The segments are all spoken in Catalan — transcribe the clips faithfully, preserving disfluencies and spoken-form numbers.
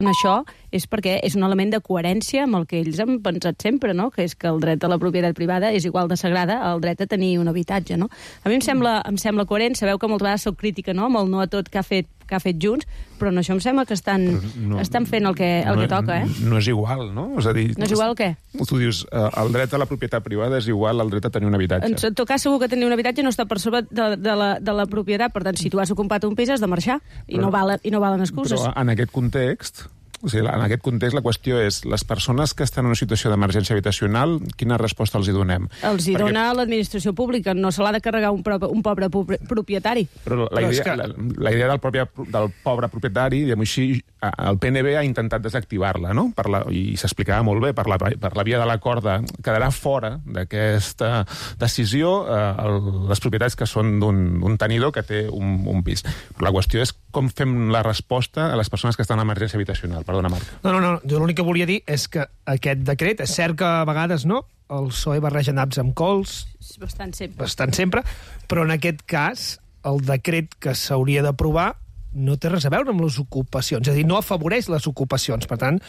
Això és perquè és un element de coherència amb el que ells han pensat sempre, no? Que és que el dret a la propietat privada és igual de sagrada al dret a tenir un habitatge, no? A mi em sembla, em sembla coherent. Sabeu que moltes vegades soc crítica, no?, amb el no a tot que ha fet, que ha fet Junts, però en això em sembla que estan, no, estan fent el que, el no, que toca, eh? No és igual, no? És a dir, no és igual què? Tu dius, eh, el dret a la propietat privada és igual al dret a tenir un habitatge. En tot cas, segur que tenir un habitatge no està per sobre de, de, la, de la propietat. Per tant, si tu has ocupat un pis, has de marxar. I, però, no, valen, i no valen excuses. Però en aquest context... O sigui, en aquest context la qüestió és les persones que estan en una situació d'emergència habitacional, quina resposta els hi donem? Els hi Perquè... dona l'administració pública, no se l'ha de carregar un, pro, un pobre propietari. Però la, però idea, que... la, la idea del, propi, del pobre propietari, diguem així, el P N B ha intentat desactivar-la, no? Per la, i s'explicava molt bé, per la, per la via de l'acord, quedarà fora d'aquesta decisió eh, el, les propietats que són d'un tenidor que té un, un pis. Però la qüestió és com fem la resposta a les persones que estan en emergència habitacional. Perdona, Marc. No, no, no. Jo l'únic que volia dir és que aquest decret, és cert que a vegades no, el P S O E barreja naps amb cols... Bastant sempre. Bastant sempre, però en aquest cas, el decret que s'hauria d'aprovar no té res a veure amb les ocupacions, és a dir, no afavoreix les ocupacions. Per tant,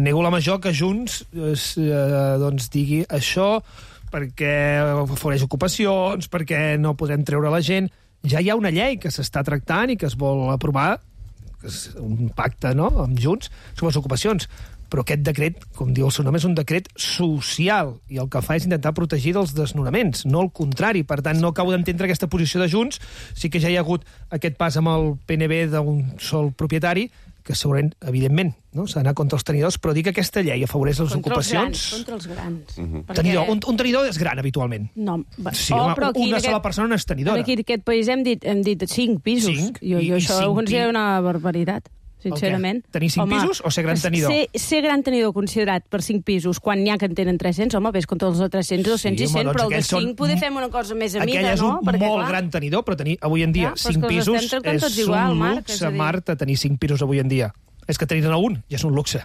nego la major que Junts eh, doncs digui això perquè afavoreix ocupacions, perquè no podem treure la gent. Ja hi ha una llei que s'està tractant i que es vol aprovar, que és un pacte, no?, amb Junts, sobre les ocupacions. Però aquest decret, com diu el seu nom, és un decret social, i el que fa és intentar protegir dels desnonaments, no el contrari. Per tant, no acabo d'entendre aquesta posició de Junts. Sí que ja hi ha hagut aquest pas amb el P N B d'un sol propietari, que segurament, evidentment, no?, s'ha d'anar contra els tenidors, però dir que aquesta llei afavoreix les contra ocupacions... Contra els grans. Uh -huh. Perquè... tenidor, un, un tenidor és gran, habitualment. No, sí, oh, home, però una sola aquest... persona no és tenidora. Aquí en aquest país hem dit, hem dit cinc pisos. Cinc? Jo, jo això ho considero una barbaritat, sincerament. Tenir cinc home, pisos o ser gran tenidor? Ser, ser gran tenidor considerat per cinc pisos, quan n'hi ha que en tenen tres-cents, home, ves contra els de tres-cents, dos-cents sí, i cent, home, doncs però el de cinc poder fem una cosa més a mida, no? Aquell és un Perquè, molt clar, gran tenidor, però tenir avui en dia ja, cinc pisos és igual, un Marc, luxe, Marta, tenir cinc pisos avui en dia. És que tenir-ne un ja és un luxe.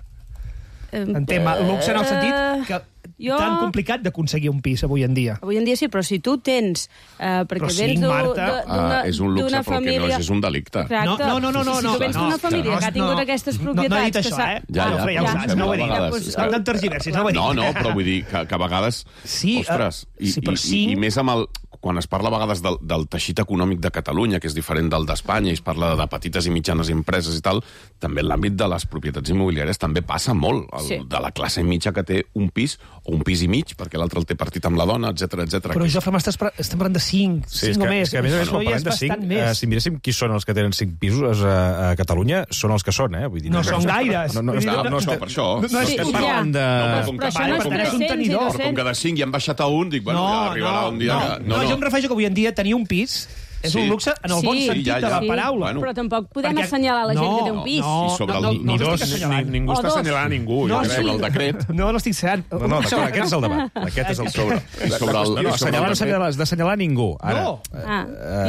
En tema luxe en el sentit que jo... tan complicat d'aconseguir un pis avui en dia. Avui en dia sí, però si tu tens... Eh, perquè però vens sí, Marta... Uh, és un luxe, però família... que no és, és un delicte. Exacte. No, no, no, no, si no, tu vens no, d'una família no, que ha tingut no, aquestes propietats... No, no he dit això, eh? Ja, ja, ja, ja, ja, ja no ho he dit. Vegades, no em tergiversis, no ho he dit. No, no, però vull dir que, que a vegades... Sí, ostres, i, sí, però i, cinc... i, i més amb el... Quan es parla a vegades del, del teixit econòmic de Catalunya, que és diferent del d'Espanya, i es parla de petites i mitjanes empreses i tal, també en l'àmbit de les propietats immobiliàries també passa molt. El, sí. De la classe mitja que té un pis, o un pis i mig, perquè l'altre el té partit amb la dona, etcètera, etcètera. Però, Jofre, estem parlant de cinc, sí, cinc que, o més. És que, a més a més, quan parlem de cinc, eh, si miréssim qui són els que tenen cinc pisos a, a Catalunya, són els que són, eh? Vull dir, no, no són gaires. No, no, no, no, no, no, per això. No, no, no estem parlant de... No, però això no és tres-cents i dos-cents. Però com que de cinc ja han baixat a un, dic, bueno, ja arribarà un dia... No, no, jo em refereixo que avui en dia tenir un pis és sí. un luxe en el bon sí, sentit ja, ja. de la sí. paraula. Bueno. Però tampoc podem Perquè... assenyalar la gent no, que té un pis. No, I sobre no, el, no, Ni no, dos, no ni, ningú està assenyalant ningú. No, jo crec, sí. el decret... No, no estic assenyalant. No, no, d'acord, aquest és el debat. Aquest és el sobre, sobre el, no, no, assenyalar no s'ha d'assenyalar ningú. Ara, no. Ah.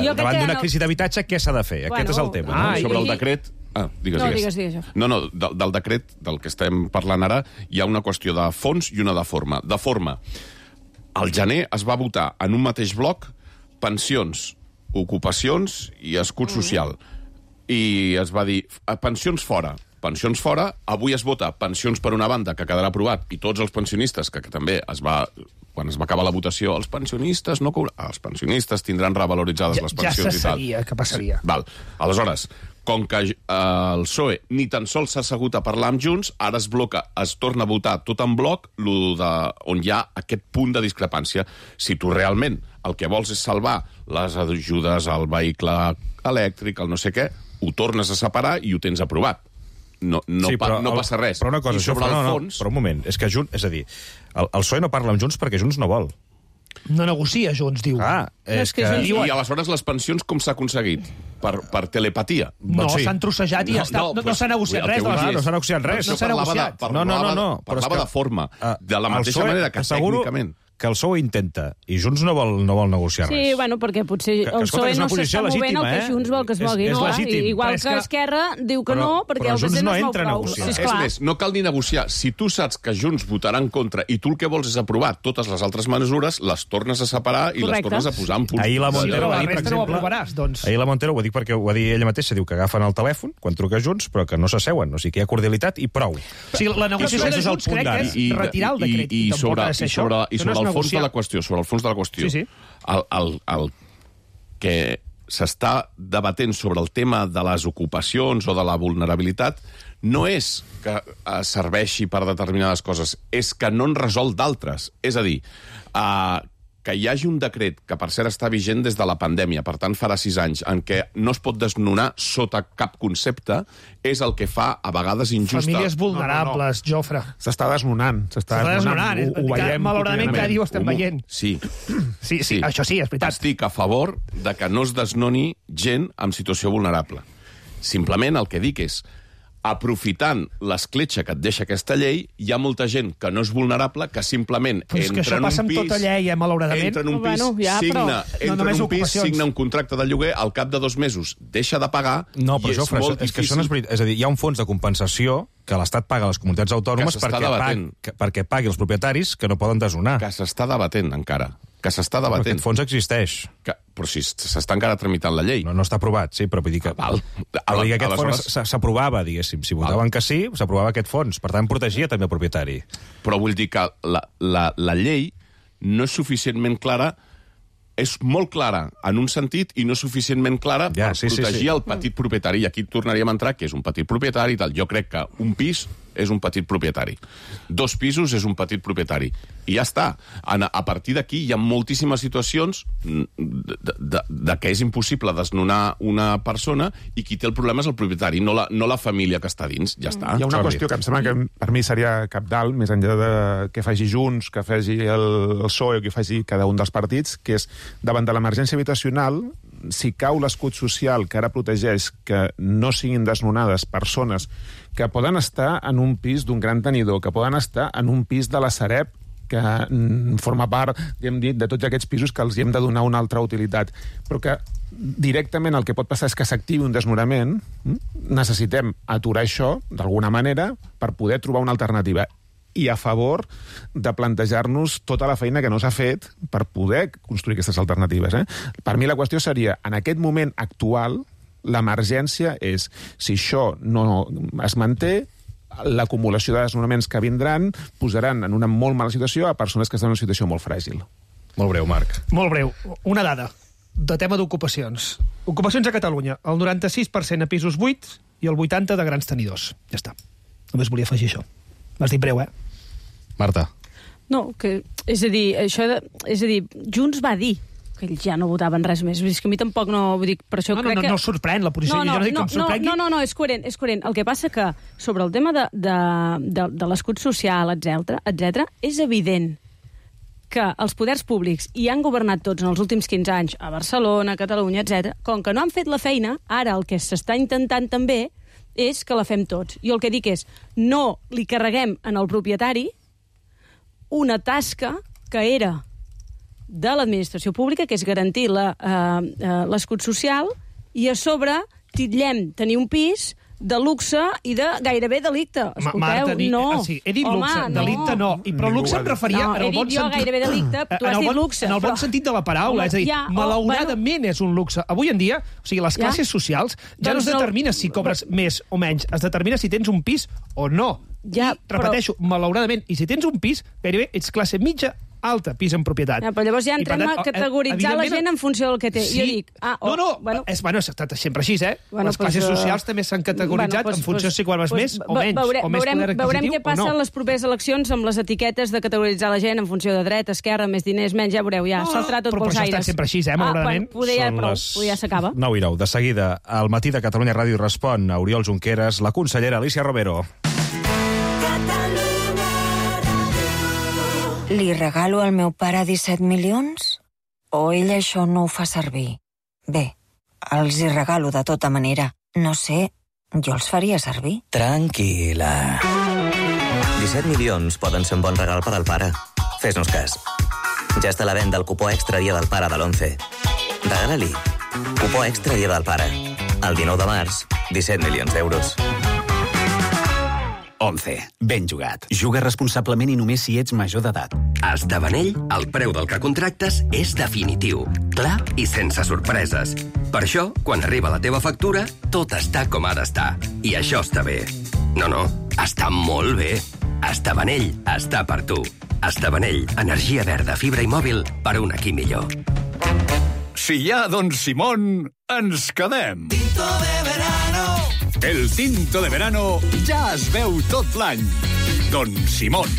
eh, davant d'una crisi d'habitatge, què s'ha de fer? Bueno, aquest és el tema. Ah, no? sobre el decret... Ah, digues, no, digues. digues, digues. No, no, del, del decret del que estem parlant ara hi ha una qüestió de fons i una de forma. De forma, al gener es va votar en un mateix bloc pensions, ocupacions i escut social. I es va dir, pensions fora. Pensions fora, avui es vota pensions per una banda, que quedarà aprovat, i tots els pensionistes, que, que també es va... Quan es va acabar la votació, els pensionistes no cobra... Els pensionistes tindran revaloritzades ja, les pensions ja i tal. Ja se sabia que passaria. Sí, val. Aleshores, com que eh, el P S O E ni tan sols s'ha assegut a parlar amb Junts, ara es bloca, es torna a votar tot en bloc, lo de, on hi ha aquest punt de discrepància. Si tu realment el que vols és salvar les ajudes al vehicle elèctric, el no sé què, ho tornes a separar i ho tens aprovat. No, no, sí, però, pa, no passa res. Però una cosa, I sobre això, el no, fons... no, però un moment, és que Junts, és a dir, el, el P S O E no parla amb Junts perquè Junts no vol. No negocia, Junts, diu. Ah, és que... I, I aleshores les pensions com s'ha aconseguit? Per, per telepatia? No, sí. S'han trossejat i no, ja està. No, no, no s'ha negociat res. Ah, no s'ha negociat res. No s'ha negociat. Parlava, no, no, no, no. parlava de forma, uh, de la mateixa manera que asseguro tècnicament... que el P S O E intenta i Junts no vol, no vol negociar sí, res. Sí, bueno, perquè potser que, el que, escolta, P S O E no s'està movent legítima, el que eh? Junts vol que es mogui. És, és no, legítim. Igual que Esquerra diu que però, no, perquè però el P S O E no no es entra a mou prou. negociar. Sí, És més, no cal ni negociar. Si tu saps que Junts votarà en contra i tu el que vols és aprovar totes les altres mesures, les tornes a separar i Correcte. les tornes a posar en punt. Ahir la Sí, Montero, però la ahir, per resta no ho exemple, aprovaràs, doncs. ahir la Montero, ho dic perquè ho va dir ella mateixa, diu que agafen el telèfon quan truca Junts, però que no s'asseuen, o sigui que hi ha cordialitat i prou. O sigui, la negociació de Aquest és el Junts punt crec que d'ara. és retirar el decret. I, i, tampoc sobre, ha de ser i sobre, això. i Això sobre no és el fons de negociar. la qüestió, sobre el fons de la qüestió, Sí, sí. El, el, el que s'està debatent sobre el tema de les ocupacions o de la vulnerabilitat no és que eh, serveixi per determinades coses, és que no en resol d'altres. És a dir, eh, que hi hagi un decret, que per cert està vigent des de la pandèmia, per tant farà sis anys, en què no es pot desnonar sota cap concepte, és el que fa a vegades injusta... Famílies vulnerables, no, no, no. Jofre. S'està desnonant. S'està desnonant. desnonant. Ho, ho veiem. Malauradament cada dia ho estem veient. Sí. Sí, sí, això sí, és veritat. Estic a favor de que no es desnoni gent en situació vulnerable. Simplement el que dic és, aprofitant l'escletxa que et deixa aquesta llei, hi ha molta gent que no és vulnerable, que simplement Però és que entra això en passa un amb pis... tota llei, eh, malauradament. Entra en un pis, Bueno, ja, signa, però- No entra només en un pis, ocupacions. signa un contracte de lloguer, al cap de dos mesos deixa de pagar, No, i però és Jofre, molt és que això difícil... no és veritat. És a dir, hi ha un fons de compensació que l'Estat paga a les comunitats autònomes Que s'està perquè, debatent. pagui, que, perquè pagui els propietaris que no poden desnonar. Que s'està debatent encara, que s'està Però debatent. aquest fons existeix. Que, però si s'està encara tramitant la llei. No, no està aprovat, sí, però vull dir que... Ah, val. Però vull dir que aquest Aleshores- fons s- s'aprovava, diguéssim. Si votaven que sí, s'aprovava aquest fons. Per tant, protegia també el propietari. Però vull dir que la, la, la llei no és suficientment clara, és molt clara en un sentit i no és suficientment clara Ja, per sí, sí, protegir sí. el petit propietari. I aquí tornaríem a entrar que és un petit propietari i tal. Jo crec que un pis és un petit propietari. Dos pisos és un petit propietari. I ja està. A, a partir d'aquí hi ha moltíssimes situacions de, de, de que és impossible desnonar una persona i qui té el problema és el propietari, no la, no la família que està dins. Ja està. Hi ha una Jordi. qüestió que em sembla que per mi seria cabdal, més enllà de que faci Junts, que faci el, el P S O E o que faci cada un dels partits, que és, davant de l'emergència habitacional, si cau l'escut social que ara protegeix que no siguin desnonades persones que poden estar en un pis d'un gran tenidor, que poden estar en un pis de la Sareb, que mm, forma part, ja hem dit, de tots aquests pisos que els hi hem de donar una altra utilitat, però que directament el que pot passar és que s'activi un desnonament, mm? necessitem aturar això, d'alguna manera, per poder trobar una alternativa. I a favor de plantejar-nos tota la feina que no s'ha fet per poder construir aquestes alternatives. Eh? Per mi la qüestió seria, en aquest moment actual, l'emergència és, si això no es manté, l'acumulació de desnonaments que vindran posaran en una molt mala situació a persones que estan en una situació molt fràgil. Molt breu, Marc. Molt breu. Una dada de tema d'ocupacions. Ocupacions a Catalunya. El noranta-sis per cent a pisos buits i el vuitanta per cent de grans tenidors. Ja està. Només volia afegir això. M'has dit breu, eh? Marta. No, que, és a dir, això de, és a dir, Junts va dir que ells ja no votaven res més. Vull dir, que a mi tampoc no... Vull dir, per això No, no, crec no, que... no sorprèn la posició. No, no, jo no dic no, que em sorprengui. no, no, no, és coherent, és coherent. El que passa que sobre el tema de, de, de, de l'escut social, etcètera, etcètera, és evident que els poders públics hi han governat tots en els últims quinze anys, a Barcelona, a Catalunya, etcètera. Com que no han fet la feina, ara el que s'està intentant també és que la fem tots. Jo el que dic és, no li carreguem en el propietari una tasca que era de l'administració pública, que és garantir la, eh, eh, l'escut social, i a sobre titllem tenir un pis de luxe i de gairebé delicte. Escolteu, Marta, ni, no. ah, sí, he dit Home, luxe, delicte no. I, però luxe em referia No, en he el bon dit jo sentit. gairebé delicte, tu En has el dit bon- luxe. En el bon però- sentit de la paraula, Home, és a dir, ja, o, malauradament és un luxe. Avui en dia, o sigui, les Ja. classes socials ja no Doncs es no- determina si cobres més o menys, es determina si tens un pis o no. Ja, I, repeteixo, malauradament, i si tens un pis, gairebé ets classe mitja alta, pis en propietat. Ja, però llavors ja I, per entrem tant, a categoritzar la evidentment- gent en funció del que té. Sí. Jo dic... Ah, oh, no, no, bueno, és, bueno, ha estat sempre així, eh? Bueno, les classes pues, uh, socials també s'han categoritzat bueno, pues, en funció pues, si guardes pues, més o ve- menys, veure, o més veurem, poder veurem adquisitiu què passa o en no. les properes eleccions amb les etiquetes de categoritzar la gent en funció de dret, esquerra, més diners, menys, ja veureu, ja, No, saltarà tot però pels això ha estat aires. sempre així, eh, malauradament. Ah, bueno, poder ja, Són prou, les poder ja s'acaba. nou i nou. De seguida, al matí de Catalunya Ràdio respon a Oriol Junqueras, la consellera Alicia Romero. Li regalo al meu pare disset milions? O ell això no ho fa servir? Bé, els hi regalo de tota manera. No sé, jo els faria servir. Tranquil·la. disset milions poden ser un bon regal per al pare. Fes-nos cas. Ja està a la venda el cupó extra Dia del Pare de l'onze. Regala-li. Cupó extra Dia del Pare. El dinou de març, disset milions d'euros. onze. Ben jugat. Juga responsablement i només si ets major d'edat. A Estavanell, el preu del que contractes és definitiu, clar i sense sorpreses. Per això, quan arriba la teva factura, tot està com ha d'estar. I això està bé. No, no, està molt bé. Estavanell està per tu. Estavanell, energia verda, fibra i mòbil per un aquí millor. Si hi ha Don Simón, ens quedem. Tinto de verano. El tinto de verano ja es veu tot l'any. Don Simón.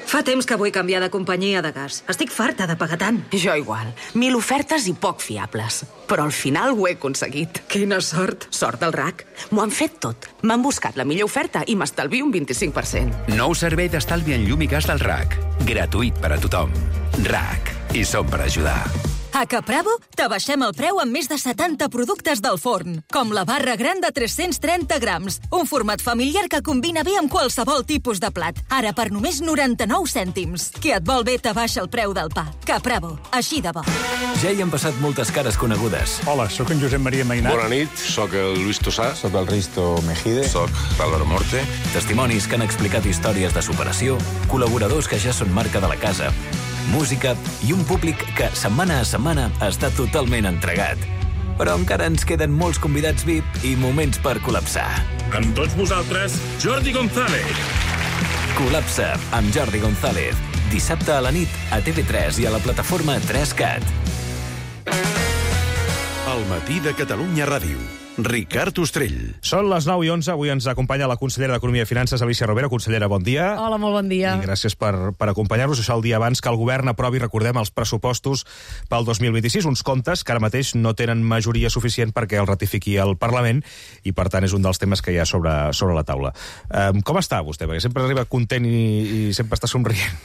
Fa temps que vull canviar de companyia de gas. Estic farta de pagar tant. Jo igual. Mil ofertes i poc fiables. Però al final ho he aconseguit. Quina sort. Sort del R A C. M'ho han fet tot. M'han buscat la millor oferta i m'estalvio un vint-i-cinc per cent. Nou servei d'estalvi en llum i gas del R A C. Gratuït per a tothom. R A C. I som per ajudar. A Capravo t'abaixem el preu amb més de setanta productes del forn, com la barra gran de tres-cents trenta grams, un format familiar que combina bé amb qualsevol tipus de plat. Ara per només noranta-nou cèntims. Qui et vol bé t'abaixa el preu del pa. Capravo, així de bo. Ja hi han passat moltes cares conegudes. Hola, sóc en Josep Maria Mainat. Bona nit, sóc el Luis Tossà. Sóc el Risto Mejide. Sóc l'Álvaro Morte. Testimonis que han explicat històries de superació, col·laboradors que ja són marca de la casa, música i un públic que setmana a setmana està totalment entregat. Però encara ens queden molts convidats V I P i moments per col·lapsar. Amb tots vosaltres, Jordi González. Col·lapsa amb Jordi González. Dissabte a la nit a T V tres i a la plataforma tres cat. El matí de Catalunya Ràdio. Ricard Ostrell. Són les nou i onze, avui ens acompanya la consellera d'Economia i Finances, Alícia Rovira. Consellera, bon dia. Hola, molt bon dia. I gràcies per, per acompanyar-nos. Això el dia abans que el govern aprovi, recordem, els pressupostos pel dos mil vint-i-sis, uns comptes que ara mateix no tenen majoria suficient perquè el ratifiqui el Parlament i, per tant, és un dels temes que hi ha sobre, sobre la taula. Um, com està vostè? Perquè sempre arriba content i, i sempre està somrient.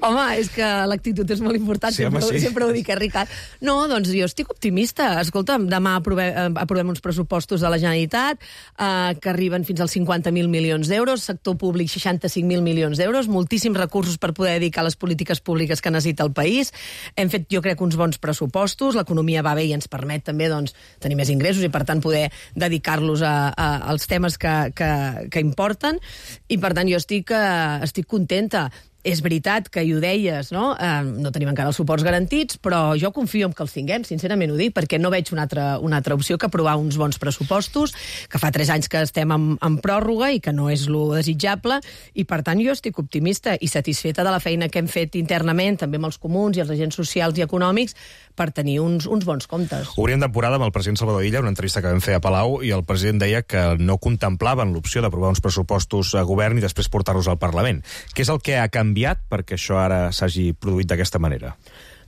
Home, és que l'actitud és molt important, sí, sempre, home, sí. sempre ho dic, eh, Ricard? No, doncs jo estic optimista. Escolta'm, demà aprovem, aprovem uns pressupostos de la Generalitat, eh, que arriben fins als cinquanta mil milions d'euros, sector públic seixanta-cinc mil milions d'euros, moltíssims recursos per poder dedicar a les polítiques públiques que necessita el país. Hem fet, jo crec, uns bons pressupostos, l'economia va bé i ens permet també doncs, tenir més ingressos i, per tant, poder dedicar-los a, a, als temes que, que, que importen. I, per tant, jo estic, eh, estic contenta. És veritat que, i ho deies, no? Eh, no tenim encara els suports garantits, però jo confio en que els tinguem, sincerament ho dic, perquè no veig una altra, una altra opció que aprovar uns bons pressupostos, que fa tres anys que estem en, en pròrroga i que no és lo desitjable, i per tant jo estic optimista i satisfeta de la feina que hem fet internament, també amb els comuns i els agents socials i econòmics, per tenir uns, uns bons comptes. Obríem temporada amb el president Salvador Illa, una entrevista que vam fer a Palau, i el president deia que no contemplaven l'opció d'aprovar uns pressupostos a govern i després portar-los al Parlament. Què és el que ha canviat perquè això ara s'hagi produït d'aquesta manera?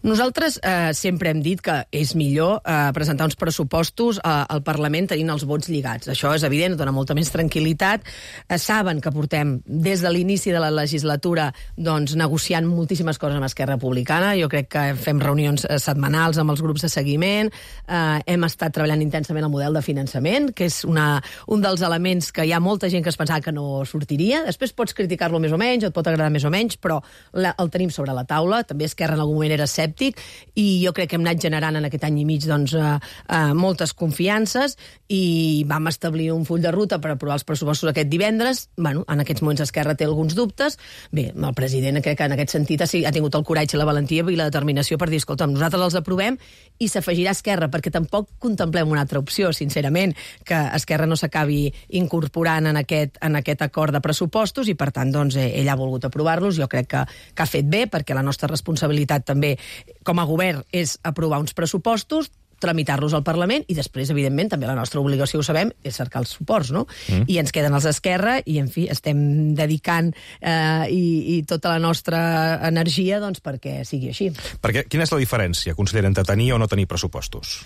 Nosaltres eh, sempre hem dit que és millor eh, presentar uns pressupostos eh, al Parlament tenint els vots lligats. Això és evident, dona molta més tranquil·litat. Eh, saben que portem des de l'inici de la legislatura doncs, negociant moltíssimes coses amb Esquerra Republicana. Jo crec que fem reunions eh, setmanals amb els grups de seguiment. Eh, hem estat treballant intensament el model de finançament, que és una, un dels elements que hi ha molta gent que es pensava que no sortiria. Després pots criticar-lo més o menys, et pot agradar més o menys, però la, el tenim sobre la taula. També Esquerra en algun moment era escèptic, i jo crec que hem anat generant en aquest any i mig doncs, eh, eh, moltes confiances i vam establir un full de ruta per aprovar els pressupostos aquest divendres. Bueno, en aquests moments Esquerra té alguns dubtes. Bé, el president crec que en aquest sentit ha, ha tingut el coratge, la valentia i la determinació per dir, escolta, nosaltres els aprovem i s'afegirà Esquerra, perquè tampoc contemplem una altra opció, sincerament, que Esquerra no s'acabi incorporant en aquest, en aquest acord de pressupostos i, per tant, doncs, ell ha volgut aprovar-los. Jo crec que, que ha fet bé, perquè la nostra responsabilitat també com a govern és aprovar uns pressupostos, tramitar-los al Parlament i després, evidentment, també la nostra obligació, ho sabem, és cercar els suports, no? Mm. I ens queden els d'Esquerra i, en fi, estem dedicant eh, i, i tota la nostra energia doncs, perquè sigui així. Perquè, quina és la diferència, consellera, entre tenir o no tenir pressupostos?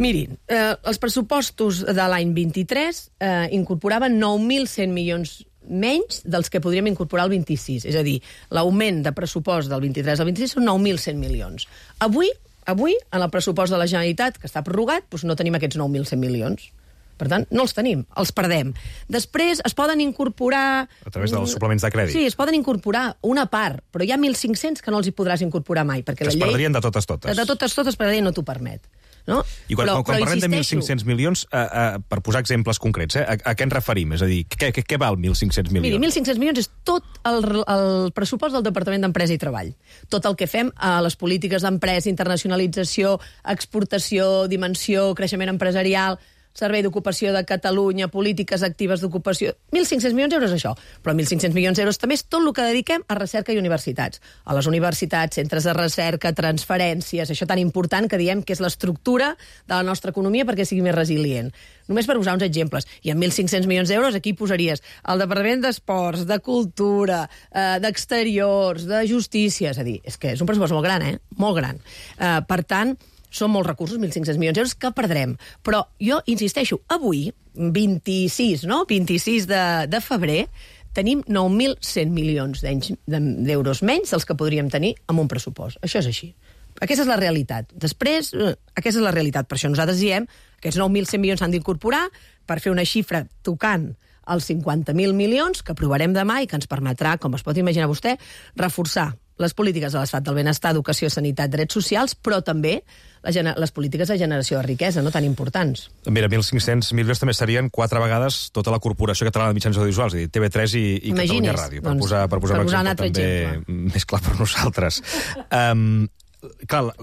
Mirin, eh, els pressupostos de l'any vint-i-tres eh, incorporaven nou mil cent milions menys dels que podríem incorporar el vint-i-sis. És a dir, l'augment de pressupost del vint-i-tres al vint-i-sis són nou mil cent milions. Avui, avui, en el pressupost de la Generalitat, que està prorrogat, doncs no tenim aquests nou mil cent milions. Per tant, no els tenim, els perdem. Després es poden incorporar... A través dels suplements de crèdit. Sí, es poden incorporar una part, però hi ha mil cinc-cents que no els hi podràs incorporar mai, perquè que la es llei... perdrien de totes totes. De totes totes, perquè la llei no t'ho permet. No? I quan, però, quan però parlem de mil insisteixo... cinc-cents milions, eh, eh, per posar exemples concrets, eh, a, a què ens referim? És a dir, què, què, què val mil cinc-cents milions? Miri, mil cinc-cents milions és tot el, el pressupost del Departament d'Empresa i Treball. Tot el que fem a les polítiques d'empresa, internacionalització, exportació, dimensió, creixement empresarial, Servei d'Ocupació de Catalunya, polítiques actives d'ocupació... mil cinc-cents milions d'euros això, però mil cinc-cents milions d'euros també és tot el que dediquem a recerca i universitats. A les universitats, centres de recerca, transferències, això tan important que diem que és l'estructura de la nostra economia perquè sigui més resilient. Només per posar uns exemples. I amb mil cinc-cents milions d'euros aquí posaries el Departament d'Esports, de Cultura, eh, d'Exteriors, de Justícia... És a dir, és que és un pressupost molt gran, eh? Molt gran. Eh, per tant, són molts recursos, mil cinc-cents milions d'euros, que perdrem. Però jo insisteixo, avui, vint-i-sis, no? vint-i-sis de, de febrer, tenim nou mil cent milions d'euros menys dels que podríem tenir amb un pressupost. Això és així. Aquesta és la realitat. Després, aquesta és la realitat. Per això nosaltres diem que aquests nou mil cent milions s'han d'incorporar per fer una xifra tocant els cinquanta mil milions que aprovarem demà i que ens permetrà, com es pot imaginar vostè, reforçar les polítiques de l'estat del benestar, educació, sanitat, drets socials, però també les polítiques de generació de riquesa, no tan importants. Mira, mil cinc-cents milions també serien quatre vegades tota la Corporació Catalana de Mitjans Audiovisuals, és a dir, T V tres i, i Catalunya Ràdio, per doncs, posar, per posar per un posar exemple un també exemple. Més clar per nosaltres. Um, clar,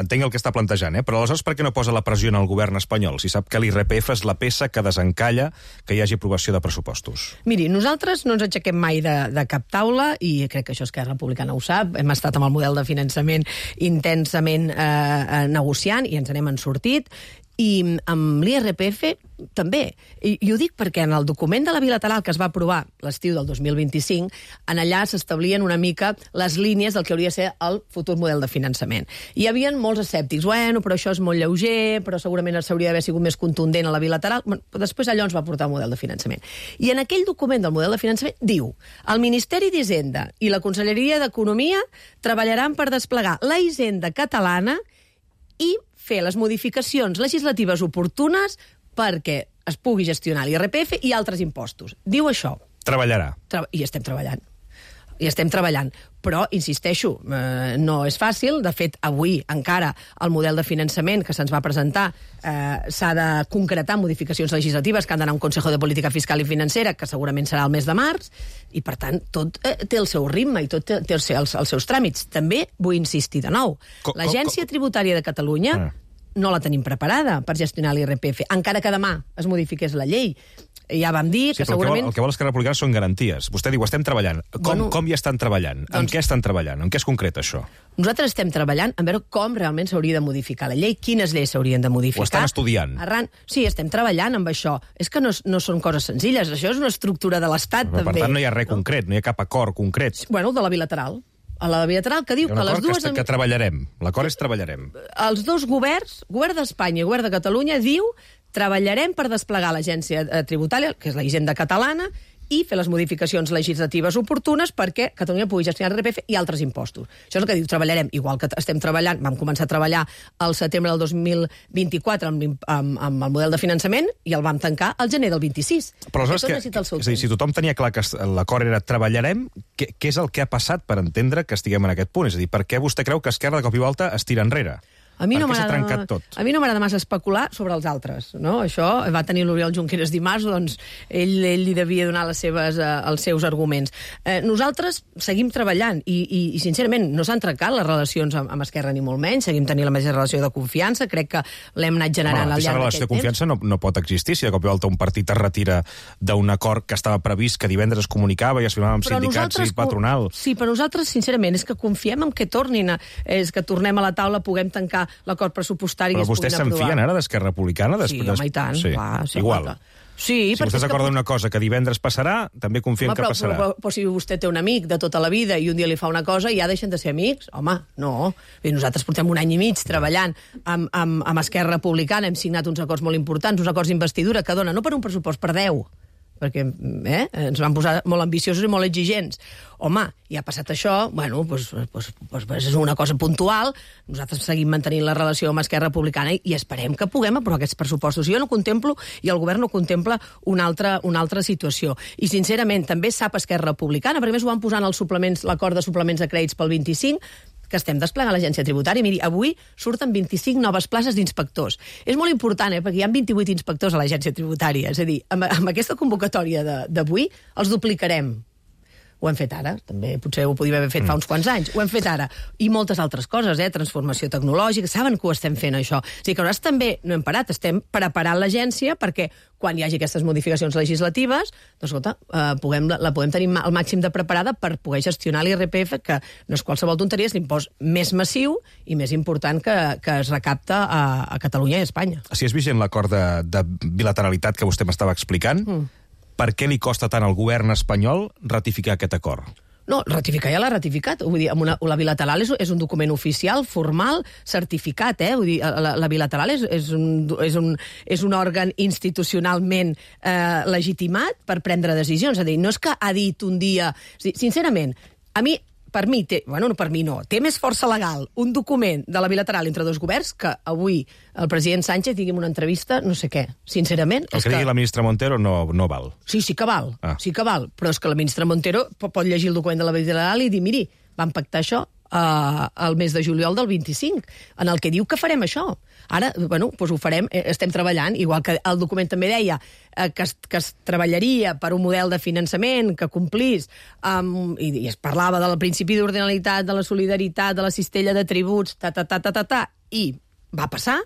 entenc el que està plantejant, eh? Però aleshores per què no posa la pressió en el govern espanyol si sap que l'I R P F és la peça que desencalla que hi hagi aprovació de pressupostos? Miri, nosaltres no ens aixequem mai de, de cap taula i crec que això Esquerra Republicana ho sap. Hem estat amb el model de finançament intensament eh, negociant i ens n'hem en sortit. I amb l'I R P F també. I, I ho dic perquè en el document de la bilateral que es va aprovar l'estiu del dos mil vint-i-cinc, en allà s'establien una mica les línies del que hauria de ser el futur model de finançament. Hi havia molts escèptics. Bueno, però això és molt lleuger, però segurament s'hauria d'haver sigut més contundent a la bilateral. Bueno, després allò ens va portar el model de finançament. I en aquell document del model de finançament diu: el Ministeri d'Hisenda i la Conselleria d'Economia treballaran per desplegar la Hisenda catalana i fer les modificacions legislatives oportunes perquè es pugui gestionar l'I R P F i altres impostos. Diu això. Treballarà. Tra- I estem treballant. I estem treballant. Però, insisteixo, eh, no és fàcil. De fet, avui encara el model de finançament que se'ns va presentar eh, s'ha de concretar modificacions legislatives que han d'anar a un Consejo de Política Fiscal i Financera, que segurament serà el mes de març, i, per tant, tot eh, té el seu ritme i tot té, té els, els, els seus tràmits. També vull insistir de nou. Co- L'Agència Tributària de Catalunya Ah. no la tenim preparada per gestionar l'I R P F, encara que demà es modifiqués la llei. Ja vam dir Sí, que però segurament... el que vol, el que vol Esquerra Republicana són garanties. Vostè diu, estem treballant. Com, Bueno, com hi estan treballant? doncs- En què estan treballant? En què és concret, això? Nosaltres estem treballant en veure com realment s'hauria de modificar la llei, quines lleis s'haurien de modificar. Ho estan estudiant. Arran... Sí, estem treballant amb això. És que no, no són coses senzilles, això és una estructura de l'Estat, Però, també. per tant, no hi ha res concret, no hi ha cap acord concret. Bueno, de la bilateral. A la bilateral que diu Hi ha un que les acord dues... que, est- que treballarem. L'acord és treballarem. Els dos governs, govern d'Espanya i govern de Catalunya, diu treballarem per desplegar l'agència eh, tributària, que és la Hisenda catalana, i fer les modificacions legislatives oportunes perquè Catalunya pugui gestionar l'I R P F i altres impostos. Això és el que diu, treballarem. Igual que estem treballant, vam començar a treballar al setembre del dos mil vint-i-quatre amb, l'im- amb, amb el model de finançament i el vam tancar al gener del vint-i-sis. Però aleshores, Tot que, necessita el seu és a dir, si tothom tenia clar que es- l'acord era treballarem, què, què és el que ha passat per entendre que estiguem en aquest punt? És a dir, per què vostè creu que Esquerra de cop i volta es tira enrere? A mi, Per no què s'ha m'agrada- trencat tot? a mi no m'agrada massa especular sobre els altres, no? Això va tenir l'Oriol Junqueras dimarts, doncs ell, ell li devia donar les seves, eh, els seus arguments. Eh, nosaltres seguim treballant i, i, i sincerament, no s'han trencat les relacions amb, amb Esquerra ni molt menys, seguim tenint la mateixa relació de confiança, crec que l'hem anat generant Home, al aquesta llarg relació de d'aquest temps. confiança no, no pot existir si de cop i volta un partit es retira d'un acord que estava previst, que divendres es comunicava i es firmava amb Però sindicats nosaltres i patronal. co- Sí, però nosaltres, sincerament, és que confiem en que tornin, a, és que tornem a la taula, puguem tancar l'acord pressupostari i Però es vostès puguin se'n aprovar. fien ara d'Esquerra Republicana? Sí, Després, home, i tant, sí. clar, sí, Igual. clar. Sí, si perquè vostès és que acorden pot- una cosa que divendres passarà, també confien Home, que però, passarà. però, però, però si vostè té un amic de tota la vida i un dia li fa una cosa i ja deixen de ser amics, home, no. I nosaltres portem un any i mig treballant amb, amb, amb Esquerra Republicana, hem signat uns acords molt importants, uns acords d'investidura que dona no per un pressupost, per deu. perquè eh, ens van posar molt ambiciosos i molt exigents. Home, ja ha passat això, bueno, doncs, doncs, doncs, doncs és una cosa puntual, nosaltres seguim mantenint la relació amb Esquerra Republicana i esperem que puguem aprovar aquests pressupostos. Jo no contemplo, i el govern no contempla, una altra, una altra situació. I, sincerament, també sap Esquerra Republicana, perquè més ho van posar en els suplements, l'acord de suplements de crèdits pel vint-i-cinc, que estem desplegant l'agència tributària. Miri, avui surten vint-i-cinc noves places d'inspectors. És molt important, eh, perquè hi ha vint-i-vuit inspectors a l'agència tributària. És a dir, amb, amb aquesta convocatòria d'avui els duplicarem. Ho hem fet ara, també potser ho podíem haver fet fa uns quants anys. Ho hem fet ara. I moltes altres coses, eh? Transformació tecnològica, saben que ho estem fent, això. O sigui que nosaltres també no hem parat, estem preparant l'agència perquè quan hi hagi aquestes modificacions legislatives, doncs, escolta, eh, puguem, la podem tenir al màxim de preparada per poder gestionar l'I R P F, que no és qualsevol tonteria, és l'impost més massiu i més important que, que es recapta a, a Catalunya i a Espanya. Si és vigent l'acord de, de bilateralitat que vostè m'estava explicant, mm. per què li costa tant al govern espanyol ratificar aquest acord? No, ratificar ja l'ha ratificat. Vull dir, amb una, la bilateral és, és un document oficial, formal, certificat, eh? Vull dir, la, la bilateral és, és, un, és, un, és un òrgan institucionalment eh, legitimat per prendre decisions. És a dir, no és que ha dit un dia... Sincerament, a mi... Per mi, té, bueno, no per mi no, té més força legal un document de la bilateral entre dos governs que avui el president Sánchez digui una entrevista, no sé què. Sincerament... El que digui que... la ministra Montero no, no val. Sí, sí que val, ah. sí que val, però és que la ministra Montero pot llegir el document de la bilateral i dir, miri, vam pactar això uh, el mes de juliol del vint-i-cinc, en el que diu que farem això. Ara, bueno, doncs ho farem, estem treballant, igual que el document també deia eh, que, es, que es treballaria per un model de finançament que complís, um, i, i es parlava del principi d'ordinalitat, de la solidaritat, de la cistella de tributs, ta, ta, ta, ta, ta, ta, i va passar,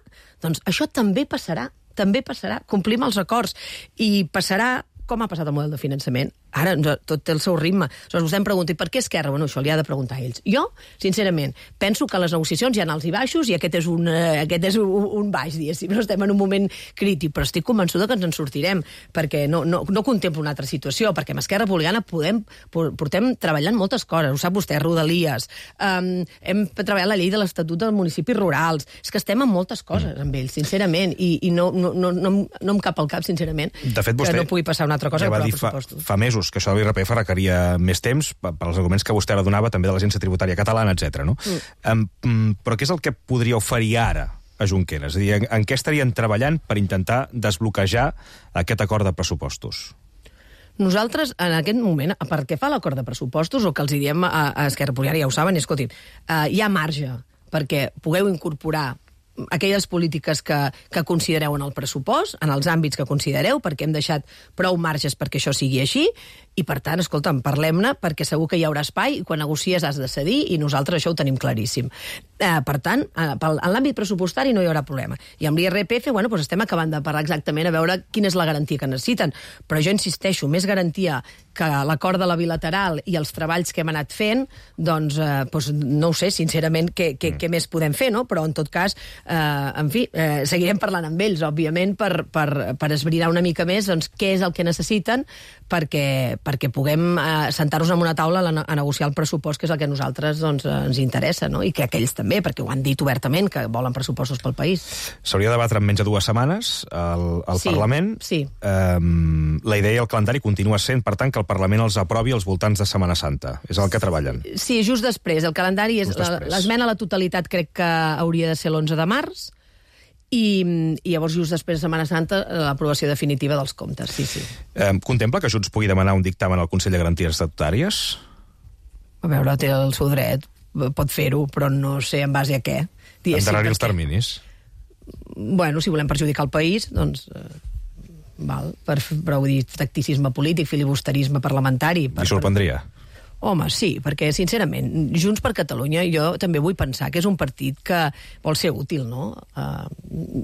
doncs això també passarà, també passarà, complim els acords, i passarà com ha passat el model de finançament. Ara tot té el seu ritme. Aleshores, vostè em pregunta, i per què Esquerra? Bueno, això li ha de preguntar a ells. Jo, sincerament, penso que les negociacions hi ha alts i baixos, i aquest és un, uh, aquest és un, un baix, diguéssim. No estem en un moment crític, però estic convençuda que ens en sortirem, perquè no, no, no contemplo una altra situació, perquè amb Esquerra Republicana podem, portem treballant moltes coses, ho sap vostè, Rodalies, um, hem treballat la llei de l'Estatut dels Municipis Rurals, és que estem en moltes coses amb ells, sincerament, i, i no, no, no, no, no em cap al cap, sincerament, de fet, vostè, que no pugui passar una altra cosa ja que va dir fa, fa mesos que això de l'I R P F requeria més temps per als arguments que vostè ara donava, també de l'Agència Tributària Catalana, etcètera. No? Mm. Um, però què és el que podria oferir ara a Junqueras? És a dir, en, en què estarien treballant per intentar desbloquejar aquest acord de pressupostos? Nosaltres, en aquest moment, per què fa l'acord de pressupostos, o que els diem a, a Esquerra Republicana, ja ho saben, escoltin, uh, hi ha marge perquè pugueu incorporar aquelles polítiques que, que considereu en el pressupost, en els àmbits que considereu, perquè hem deixat prou marges perquè això sigui així, i per tant, escolta'm, parlem-ne, perquè segur que hi haurà espai, i quan negocies has de cedir, i nosaltres això ho tenim claríssim. Eh, per tant, eh, en l'àmbit pressupostari no hi haurà problema. I amb l'I R P F, bueno, doncs estem acabant de parlar exactament a veure quina és la garantia que necessiten. Però jo insisteixo, més garantia que l'acord de la bilateral i els treballs que hem anat fent, doncs, eh, doncs no ho sé, sincerament, què, què, què més podem fer, no? Però, en tot cas, eh, en fi, eh, seguirem parlant amb ells, òbviament, per, per, per esbrinar una mica més doncs, què és el que necessiten perquè, perquè puguem eh, sentar-nos en una taula a, a negociar el pressupost, que és el que a nosaltres doncs, ens interessa, no? I que aquells també, perquè ho han dit obertament, que volen pressupostos pel país. S'hauria de debatre en menys de dues setmanes al, al sí, Parlament. Sí. Um, la idea i el calendari continua sent, per tant, que el Parlament els aprovi als voltants de Setmana Santa. És el que treballen. Sí, just després. El calendari és... L'esmena a la totalitat crec que hauria de ser l'onze de març, i, i llavors just després de Setmana Santa l'aprovació definitiva dels comptes, sí, sí. Eh, contempla que Junts pugui demanar un dictamen al Consell de Garanties Estatutàries? A veure, té el seu dret, pot fer-ho, però no sé en base a què. Endarrerir els terminis? Bueno, si volem perjudicar el país, doncs... Eh, val, per, però vull dir, tacticisme polític, filibusterisme parlamentari... Per, Li sorprendria? Per... Home, sí, perquè, sincerament, Junts per Catalunya, jo també vull pensar que és un partit que vol ser útil, no? Uh,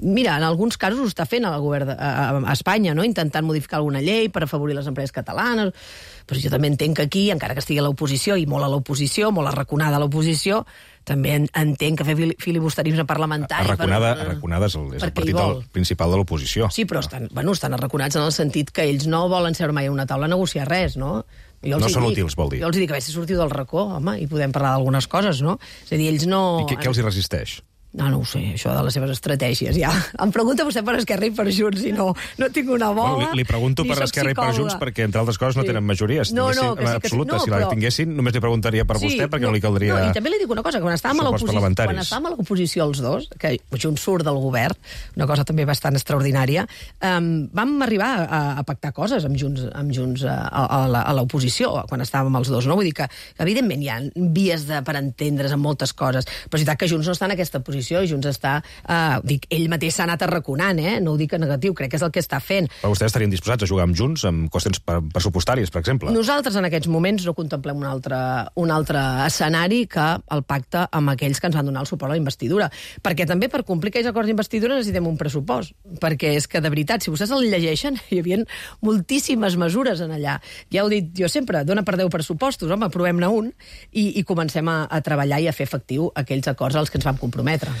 mira, en alguns casos ho està fent el govern de, a, a Espanya, no? Intentant modificar alguna llei per afavorir les empreses catalanes, però jo també entenc que aquí, encara que estigui a l'oposició, i molt a l'oposició, molt arraconada a l'oposició, també entenc que fer filibusterisme parlamentari... Arraconada, per, arraconada és el, és el partit del, principal de l'oposició. Sí, però estan, bueno, estan arraconats en el sentit que ells no volen seure mai a una taula a negociar res, no? Jo no són dic, útils, vol dir. Jo els dic, a veure si sortiu del racó, home, i podem parlar d'algunes coses, no? És a dir, ells no... I què, què els hi resisteix? No, no ho sé, això de les seves estratègies, ja. Em pregunta vostè per Esquerra i per Junts, i no, no tinc una bola, bueno, li, li pregunto per Esquerra i per Junts perquè, entre altres coses, no sí. tenen majoria. Si no, no, que sí, que sí. absoluta, No, si la però... tinguessin, només li preguntaria per sí, vostè, perquè no, no li caldria... No, i també li dic una cosa, que quan estàvem a l'oposició, quan estàvem a l'oposició els dos, que Junts surt del govern, una cosa també bastant extraordinària, um, vam arribar a, a pactar coses amb Junts, amb Junts a, a, a l'oposició, quan estàvem els dos, no? Vull dir que, evidentment, hi ha vies de, per entendre's en moltes coses, però és veritat que Junts no està en aquesta posició, i Junts està... Uh, dic, ell mateix s'ha anat arraconant, eh? No ho dic en negatiu, crec que és el que està fent. Però vostès estarien disposats a jugar amb Junts amb qüestions pressupostàries, per exemple? Nosaltres en aquests moments no contemplem un altre, un altre escenari que el pacte amb aquells que ens van donar el suport a la investidura. Perquè també per complir aquells acords d'investidura necessitem un pressupost. Perquè és que, de veritat, si vostès el llegeixen, hi havia moltíssimes mesures en allà. Ja ho he dit jo sempre, dona per deu pressupostos, home, provem-ne un i, i comencem a, a treballar i a fer efectiu aquells acords als que ens vam comprometre.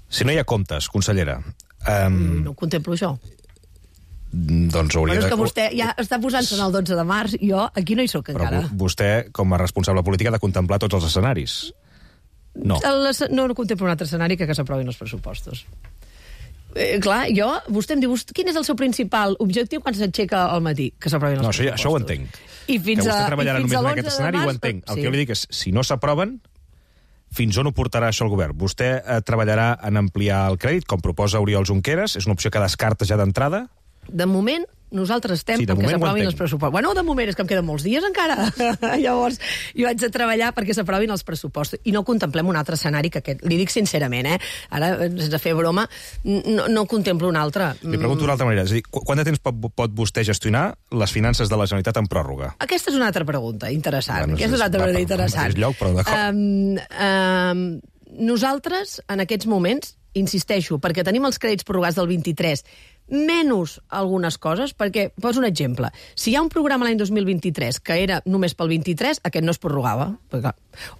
Si no hi ha comptes, consellera... Um... No contemplo això. Doncs hauria bueno, és que de... vostè ja està posant-se el dotze de març, jo aquí no hi soc encara. Però vostè, com a responsable polític, ha de contemplar tots els escenaris. No. El, no, no contemplo un altre escenari que que s'aprovin els pressupostos. Eh, clar, jo, vostè em diu, quin és el seu principal objectiu quan s'aixeca al matí? Que s'aprovin els no, pressupostos. Això ho entenc. I fins que vostè a, treballarà i fins només en aquest escenari, ho entenc. El sí. que jo li dic és, si no s'aproven, fins on ho portarà això el govern? Vostè eh, treballarà en ampliar el crèdit, com proposa Oriol Junqueras? És una opció que descarta ja d'entrada? De moment, nosaltres estem sí, perquè s'aprovin els pressupostos. Bueno, de moment és que em queden molts dies encara. Llavors, jo haig de treballar perquè s'aprovin els pressupostos. I no contemplem un altre escenari que aquest. Li dic sincerament, eh? Ara, sense fer broma, no, no contemplo un altre. Li pregunto d'una altra manera. És a dir, quant de temps pot, pot vostè gestionar les finances de la Generalitat en pròrroga? Aquesta és una altra pregunta interessant. Bueno, Aquesta és una altra pregunta interessant. Lloc, però um, um, nosaltres, en aquests moments, insisteixo, perquè tenim els crèdits prorrogats del vint-i-tres, menys algunes coses, perquè, poso un exemple, si hi ha un programa l'any dos mil vint-i-tres que era només pel vint-i-tres, aquest no es prorrogava, perquè,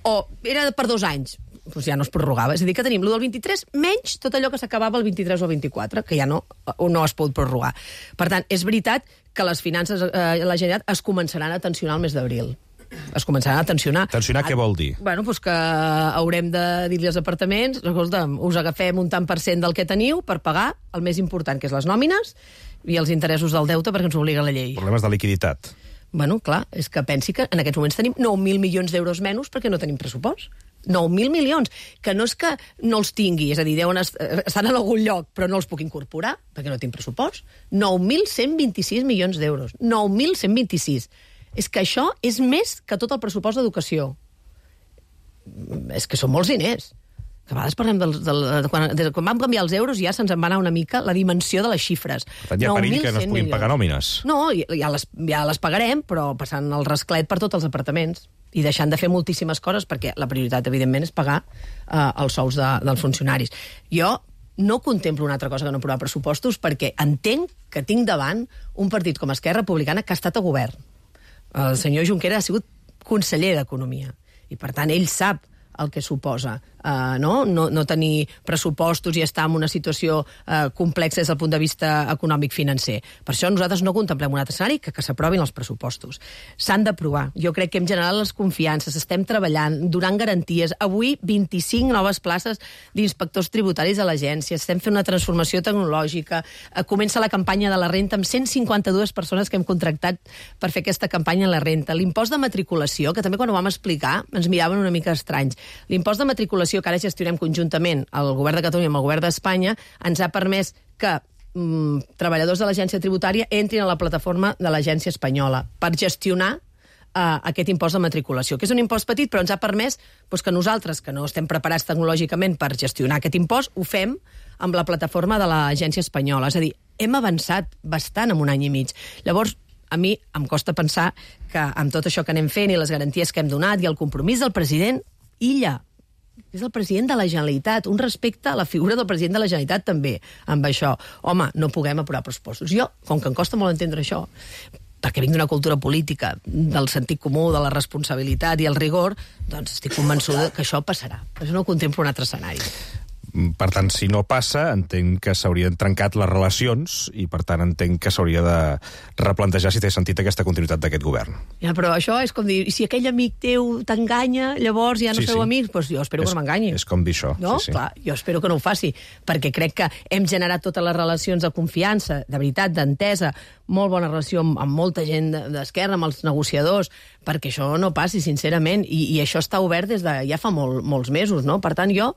o era per dos anys, doncs ja no es prorrogava. És a dir, que tenim el del vint-i-tres menys tot allò que s'acabava el vint-i-tres o el vint-i-quatre, que ja no, no es pot prorrogar. Per tant, és veritat que les finances de eh, la Generalitat es començaran a tensionar el mes d'abril. Es començaran a tensionar. Tensionar què vol dir? Bueno, doncs que haurem de dir-li als apartaments, escolta'm, us agafem un tant per cent del que teniu per pagar el més important, que és les nòmines i els interessos del deute, perquè ens obliga la llei. Problemes de liquiditat. Bueno, clar, és que pensi que en aquests moments tenim nou mil milions d'euros menys perquè no tenim pressupost. nou mil milions, que no és que no els tingui, és a dir, deuen est estan en algun lloc, però no els puc incorporar, perquè no tinc pressupost. nou mil cent vint-i-sis milions d'euros. nou mil cent vint-i-sis. És que això és més que tot el pressupost d'educació. És que són molts diners. Que a vegades parlem del, del, de, quan, de quan vam canviar els euros ja se'ns en va anar una mica la dimensió de les xifres. Per tant, hi ha perill que no es puguin pagar nòmines. No, ja les, ja les pagarem, però passant el rasclet per tots els apartaments i deixant de fer moltíssimes coses, perquè la prioritat, evidentment, és pagar eh, els sous de, dels funcionaris. Jo no contemplo una altra cosa que no aprovar pressupostos, perquè entenc que tinc davant un partit com Esquerra Republicana que ha estat a govern. El senyor Junqueras ha sigut conseller d'Economia i, per tant, ell sap el que suposa uh, no? No, no tenir pressupostos i estar en una situació uh, complexa des del punt de vista econòmic-financer. Per això nosaltres no contemplem un altre escenari que, que s'aprovin els pressupostos. S'han d'aprovar. Jo crec que hem generat les confiances, estem treballant, donant garanties. Avui, vint-i-cinc noves places d'inspectors tributaris a l'agència, estem fent una transformació tecnològica, uh, comença la campanya de la renta amb cent cinquanta-dues persones que hem contractat per fer aquesta campanya en la renta. L'impost de matriculació, que també quan ho vam explicar ens miraven una mica estranys. L'impost de matriculació que ara gestionem conjuntament el govern de Catalunya amb el govern d'Espanya ens ha permès que mm, treballadors de l'agència tributària entrin a la plataforma de l'agència espanyola per gestionar uh, aquest impost de matriculació, que és un impost petit, però ens ha permès doncs, que nosaltres, que no estem preparats tecnològicament per gestionar aquest impost, ho fem amb la plataforma de l'agència espanyola. És a dir, hem avançat bastant en un any i mig. Llavors, a mi em costa pensar que amb tot això que anem fent i les garanties que hem donat i el compromís del president, illa, és el president de la Generalitat, un respecte a la figura del president de la Generalitat també, amb això. Home, no puguem aprovar pressupostos. Jo, com que em costa molt entendre això, perquè vinc d'una cultura política, del sentit comú, de la responsabilitat i el rigor, doncs estic convençuda que això passarà. Per això no contemplo un altre escenari. Per tant, si no passa, entenc que s'haurien trencat les relacions i, per tant, entenc que s'hauria de replantejar si té sentit aquesta continuïtat d'aquest govern. Ja, però això és com dir, si aquell amic teu t'enganya, llavors ja no Sí, sou sí. amics, doncs jo espero És- que no m'enganyi. És com dir això. No? Sí, sí. Clar, jo espero que no ho faci, perquè crec que hem generat totes les relacions de confiança, de veritat, d'entesa, molt bona relació amb, amb molta gent de- d'Esquerra, amb els negociadors, perquè això no passi, sincerament, i, i això està obert des de ja fa molt, molts mesos, no? Per tant, jo,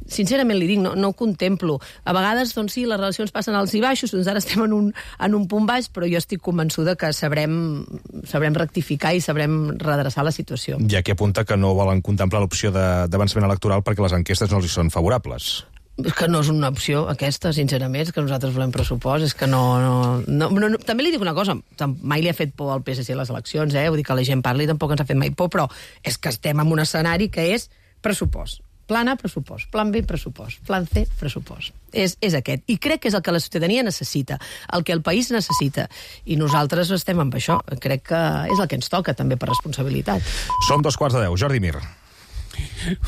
sincerament li dic, no, no ho contemplo. A vegades, doncs sí, les relacions passen alts i baixos, doncs ara estem en un, en un punt baix, però jo estic convençuda que sabrem, sabrem rectificar i sabrem redreçar la situació. Hi ha qui apunta que no volen contemplar l'opció de- d'avançament electoral perquè les enquestes no els hi són favorables. És que no és una opció, aquesta, sincerament, és que nosaltres volem pressupost, és que no... no, no, no, no. També li dic una cosa, tam- mai li ha fet por al P S C les eleccions, eh? Vull dir que la gent parli tampoc ens ha fet mai por, però és que estem en un escenari que és pressupost. Plan A, pressupost. Plan B, pressupost. Plan C, pressupost. És, és aquest. I crec que és el que la ciutadania necessita, el que el país necessita. I nosaltres estem amb això. Crec que és el que ens toca, també, per responsabilitat. Som dos quarts de deu. Jordi Mir.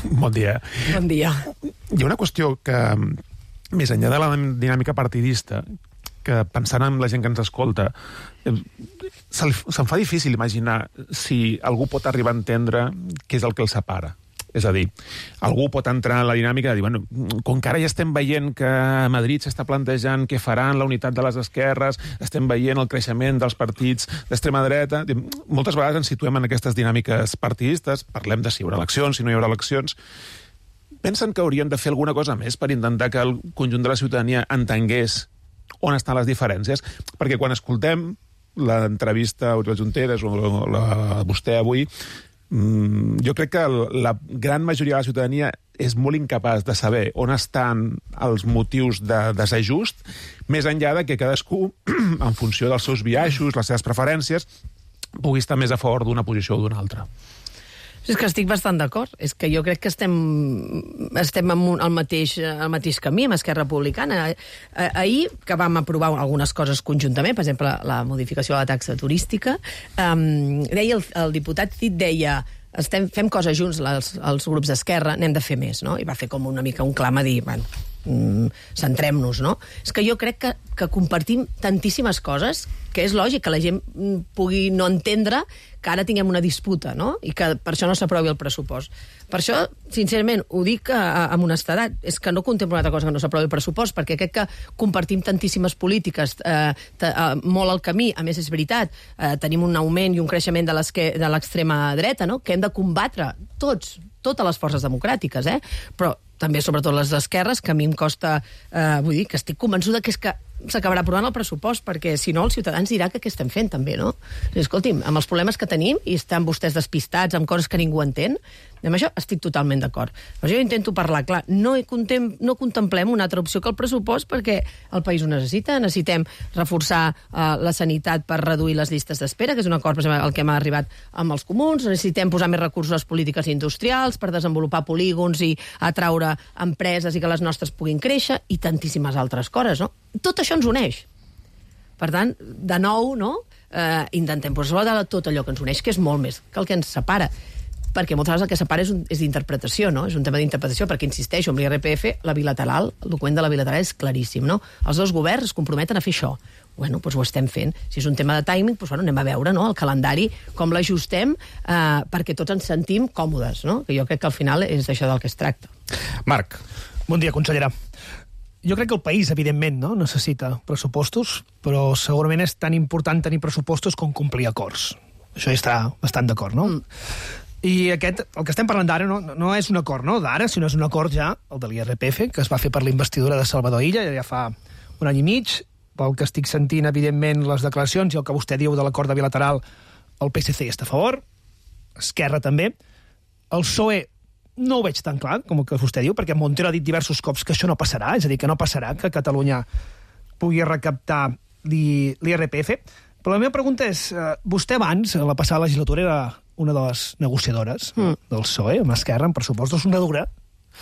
Bon dia. Bon dia. Hi ha una qüestió que, més enllà de la dinàmica partidista, que pensant en la gent que ens escolta, eh, se'l- se'm fa difícil imaginar si algú pot arribar a entendre què és el que el separa. És a dir, algú pot entrar en la dinàmica de dir, bueno, com que ara ja estem veient que a Madrid s'està plantejant què faran la unitat de les esquerres, estem veient el creixement dels partits d'extrema dreta, moltes vegades ens situem en aquestes dinàmiques partidistes, parlem de si hi haurà eleccions, si no hi haurà eleccions. Pensen que haurien de fer alguna cosa més per intentar que el conjunt de la ciutadania entengués on estan les diferències? Perquè quan escoltem l'entrevista a Oriol Junqueras o la, vostè avui, jo crec que la gran majoria de la ciutadania és molt incapaç de saber on estan els motius de desajust, més enllà de que cadascú, en funció dels seus biaixos, les seves preferències, pugui estar més a favor d'una posició o d'una altra. És que estic bastant d'acord. És que jo crec que estem, estem en un, al, mateix, al mateix camí amb Esquerra Republicana. Eh, ahir, que vam aprovar algunes coses conjuntament, per exemple, la modificació de la taxa turística, eh, deia el, el diputat Cid, deia estem, fem coses junts, els, els grups d'Esquerra, n'hem de fer més, no? I va fer com una mica un clam a dir, bueno, mm, centrem-nos, no? És que jo crec que, que compartim tantíssimes coses que és lògic que la gent pugui no entendre que ara tinguem una disputa, no? I que per això no s'aprovi el pressupost. Per això, sincerament, ho dic amb honestedat, és que no contemplo una altra cosa que no s'aprovi el pressupost, perquè crec que compartim tantíssimes polítiques, eh, t- eh, molt al camí, a més és veritat, eh, tenim un augment i un creixement de l'esque- de l'extrema dreta, no? Que hem de combatre tots, totes les forces democràtiques, eh? Però també, sobretot, les d'esquerres, que a mi em costa... Eh, vull dir, que estic convençuda que és que s'acabarà aprovant el pressupost, perquè si no els ciutadans diran que què estem fent, també, no? I, escolti'm, amb els problemes que tenim, i estan vostès despistats amb coses que ningú entén, amb això estic totalment d'acord. Però jo intento parlar clar. No, contem, no contemplem una altra opció que el pressupost perquè el país ho necessita. Necessitem reforçar uh, la sanitat per reduir les llistes d'espera, que és un acord, per exemple, al que hem arribat amb els comuns. Necessitem posar més recursos a les polítiques industrials per desenvolupar polígons i atraure empreses i que les nostres puguin créixer, i tantíssimes altres coses, no? Tot això ens uneix. Per tant, de nou, no? Eh, intentem posar de tot allò que ens uneix, que és molt més que el que ens separa. Perquè moltes vegades el que separa és, un, és d'interpretació, no? És un tema d'interpretació, perquè, insisteixo, amb l'I R P F, la bilateral, el document de la bilateral és claríssim, no? Els dos governs es comprometen a fer això. Bueno, doncs ho estem fent. Si és un tema de timing, doncs bueno, anem a veure, no?, el calendari, com l'ajustem, eh, perquè tots ens sentim còmodes, no? Que jo crec que al final és d'això del que es tracta. Marc. Bon dia, consellera. Jo crec que el país, evidentment, no, necessita pressupostos, però segurament és tan important tenir pressupostos com complir acords. Això hi està bastant d'acord, no? Mm. I aquest, el que estem parlant d'ara no, no és un acord, no?, d'ara, sinó és un acord ja, el de l'I R P F, que es va fer per la investidura de Salvador Illa, ja fa un any i mig, pel que estic sentint, evidentment, les declaracions i el que vostè diu de l'acord de bilateral, el P S C està a favor, Esquerra també, el P S O E no ho veig tan clar com el que vostè diu, perquè Montero ha dit diversos cops que això no passarà, és a dir, que no passarà que Catalunya pugui recaptar l'I R P F. Però la meva pregunta és, eh, vostè abans, a la passada legislatura, era una de les negociadores mm. del P S O E, amb Esquerra, en pressupostos, una dura,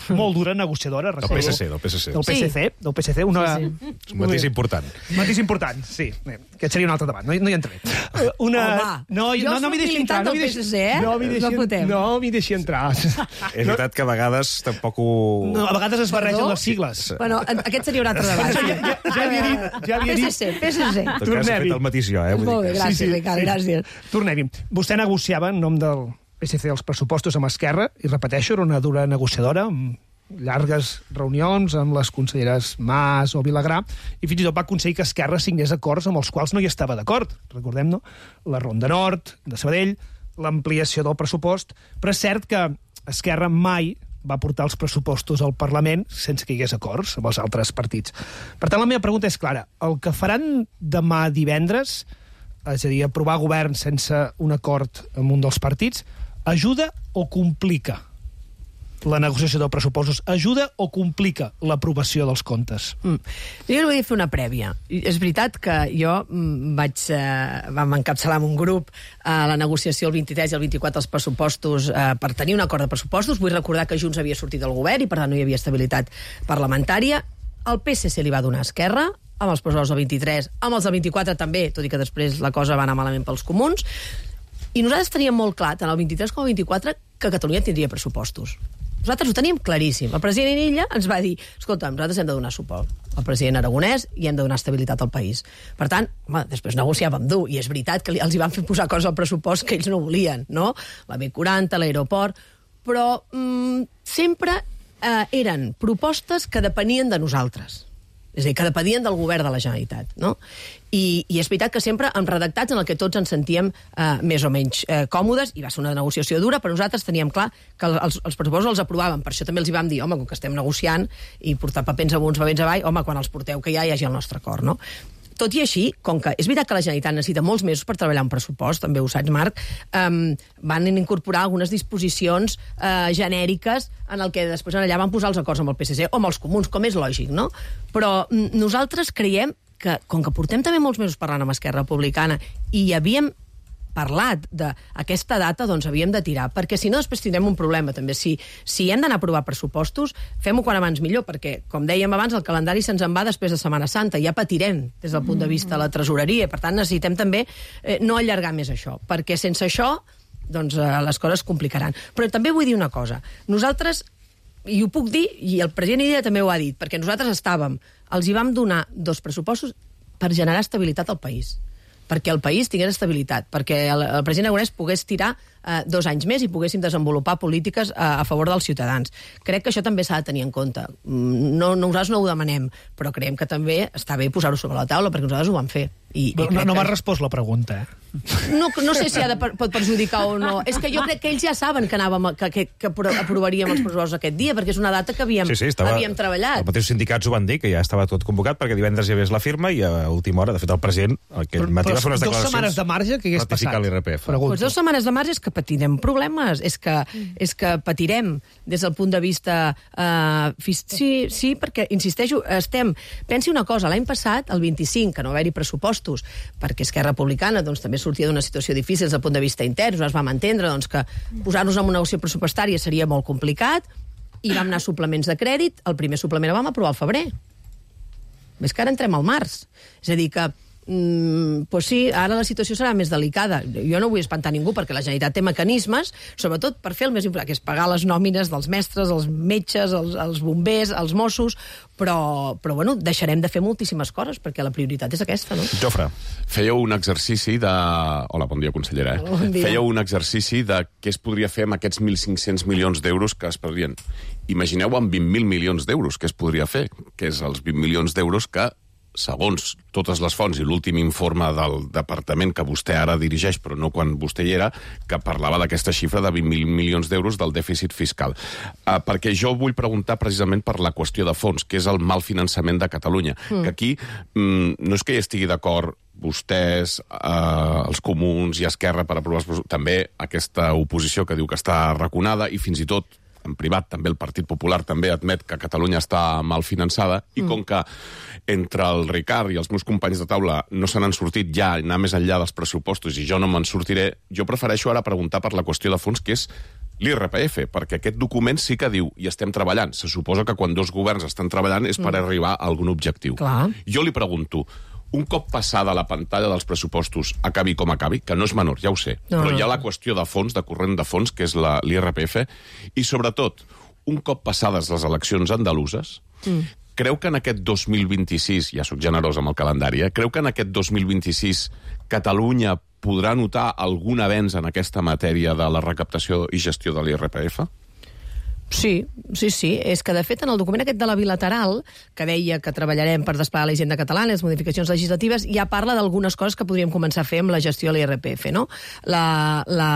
molt dura negociadora. Del P S C, del P S C. Del P S C, del P S C. Una... Sí, sí. És un matís important. Un matís important, sí. Aquest seria un altre debat, no, no hi entraré. Una... Home, no, jo no, no m'hi deixi entrar. del P S C, eh? No m'hi deixi, no m'hi deixi entrar. És veritat que a vegades tampoc ho... No, a vegades es barregen les sigles. Bueno, aquest seria un altre debat. Ja, ja, ja li he dit... Ja li he dit. P S C, P S C. En tot cas, he fet el matís jo, eh? Molt bé, gràcies, Ricard, gràcies. Tornem-hi. Vostè negociava en nom del P S C els pressupostos amb Esquerra, i repeteixo, era una dura negociadora, amb llargues reunions amb les conselleres Mas o Vilagrà, i fins i tot va aconseguir que Esquerra signés acords amb els quals no hi estava d'acord. Recordem, no? La Ronda Nord, de Sabadell, l'ampliació del pressupost, però és cert que Esquerra mai va portar els pressupostos al Parlament sense que hi hagués acords amb els altres partits. Per tant, la meva pregunta és clara. El que faran demà divendres, és a dir, aprovar govern sense un acord amb un dels partits, ajuda o complica la negociació dels pressupostos? Ajuda o complica l'aprovació dels comptes? Mm. Jo no vull fer una prèvia. És veritat que jo mm, vaig, eh, vam encapçalar en un grup eh, la negociació el vint-i-tres i el vint-i-quatre dels pressupostos eh, per tenir un acord de pressupostos. Vull recordar que Junts havia sortit del govern i per tant no hi havia estabilitat parlamentària. El P S C li va donar a Esquerra, amb els pressupostos del vint-i-tres, amb els del vint-i-quatre també, tot i que després la cosa va anar malament pels comuns. I nosaltres teníem molt clar, tant el vint-i-tres com el vint-i-quatre, que Catalunya tindria pressupostos. Nosaltres ho teníem claríssim. El president Illa ens va dir, escolta, nosaltres hem de donar suport al president Aragonès i hem de donar estabilitat al país. Per tant, home, després negociàvem dur, i és veritat que els hi van fer posar coses al pressupost que ells no volien, no? La B quaranta, l'aeroport, però mm, sempre eh, eren propostes que depenien de nosaltres. És a dir, que depenien del govern de la Generalitat, no? I, i és veritat que sempre amb redactats en el que tots ens sentíem eh, més o menys eh, còmodes, i va ser una negociació dura, però nosaltres teníem clar que els, els pressupostos els aprovàvem. Per això també els hi vam dir, home, com que estem negociant i portar papers amunt, papers avall, home, quan els porteu que ja hi hagi el nostre acord, no? Tot i així, com que és veritat que la Generalitat necessita molts mesos per treballar un pressupost, també ho saps, Marc, um, van incorporar algunes disposicions uh, genèriques en el que després allà van posar els acords amb el P S C o amb els comuns, com és lògic, no? Però mm, nosaltres creiem que, com que portem també molts mesos parlant amb Esquerra Republicana i hi havíem parlat d'aquesta data, doncs havíem de tirar, perquè si no després tindrem un problema també. Si, si hem d'anar a aprovar pressupostos, fem-ho quan abans millor, perquè, com dèiem abans, el calendari se'ns en va després de Setmana Santa, ja patirem des del punt de vista de la tresoreria, per tant necessitem també eh, no allargar més això, perquè sense això doncs, eh, les coses es complicaran. Però també vull dir una cosa, nosaltres, i ho puc dir, i el president Illa també ho ha dit, perquè nosaltres estàvem, els hi vam donar dos pressupostos per generar estabilitat al país, perquè el país tingués estabilitat, perquè el, el president Aragonès pogués tirar eh, dos anys més i poguéssim desenvolupar polítiques a, a favor dels ciutadans. Crec que això també s'ha de tenir en compte. No, nosaltres no ho demanem, però creiem que també està bé posar-ho sobre la taula, perquè nosaltres ho vam fer. I, no i no, no m'ha que... respost la pregunta, eh? No, no sé si ha de, pot perjudicar o no. És que jo crec que ells ja saben que, anàvem, que, que, que aprovaríem els pressupostos aquest dia, perquè és una data que havíem, sí, sí, estava, havíem treballat. Els mateixos sindicats ho van dir, que ja estava tot convocat, perquè divendres hi hagués la firma i a última hora, de fet, el president aquest matí va fer unes declaracions... Dos setmanes de marge, que hagués passat? l'I R P F. Pues dos setmanes de marge és que patirem problemes, és que, és que patirem des del punt de vista... Uh, sí, sí, perquè, insisteixo, estem... Pensi una cosa, l'any passat, el vint-i-cinc, que no va haver-hi pressupostos, perquè Esquerra Republicana doncs, també sortia d'una situació difícil des del punt de vista intern, nosaltres vam entendre doncs, que posar-nos en una negociació pressupostària seria molt complicat, i vam anar a suplements de crèdit, el primer suplement el vam aprovar al febrer. Més que ara entrem al març. És a dir que Mm, pues sí, ara la situació serà més delicada. Jo no vull espantar ningú perquè la Generalitat té mecanismes, sobretot per fer el més important, que és pagar les nòmines dels mestres, els metges, els, els bombers, els Mossos, però, però bueno, deixarem de fer moltíssimes coses perquè la prioritat és aquesta, no? Jofre. Fèieu un exercici de... Hola, bon dia, consellera. Eh? Bon dia. Fèieu un exercici de què es podria fer amb aquests mil cinc-cents milions d'euros que es perdrien. Imagineu amb vint mil milions d'euros què es podria fer, que és els vint milions d'euros que, segons totes les fonts i l'últim informe del departament que vostè ara dirigeix, però no quan vostè hi era, que parlava d'aquesta xifra de vint mil milions d'euros del dèficit fiscal. Uh, perquè jo vull preguntar precisament per la qüestió de fons, que és el mal finançament de Catalunya. Mm. Que aquí mm, no és que hi estigui d'acord vostès, eh, els comuns i Esquerra per aprovar els... també aquesta oposició que diu que està raconada i fins i tot en privat també el Partit Popular també admet que Catalunya està mal finançada i mm. com que entre el Ricard i els meus companys de taula no se n'han sortit ja anar més enllà dels pressupostos i jo no me'n sortiré, jo prefereixo ara preguntar per la qüestió de fons, que és l'I R P F, perquè aquest document sí que diu, i estem treballant, se suposa que quan dos governs estan treballant és per mm. arribar a algun objectiu. Clar. Jo li pregunto, un cop passada la pantalla dels pressupostos, acabi com acabi, que no és menor, ja ho sé, no, però hi ha la qüestió de fons, de corrent de fons, que és l'I R P F, i sobretot, un cop passades les eleccions andaluses, mm. creu que en aquest dos mil vint-i-sis, ja soc generós amb el calendari, eh? creu que en aquest dos mil vint-i-sis Catalunya podrà notar algun avenç en aquesta matèria de la recaptació i gestió de l'I R P F? Sí, sí, sí. És que, de fet, en el document aquest de la bilateral, que deia que treballarem per desplegar la hisenda catalana, les modificacions legislatives, ja parla d'algunes coses que podríem començar a fer amb la gestió de l'I R P F, no? La, la,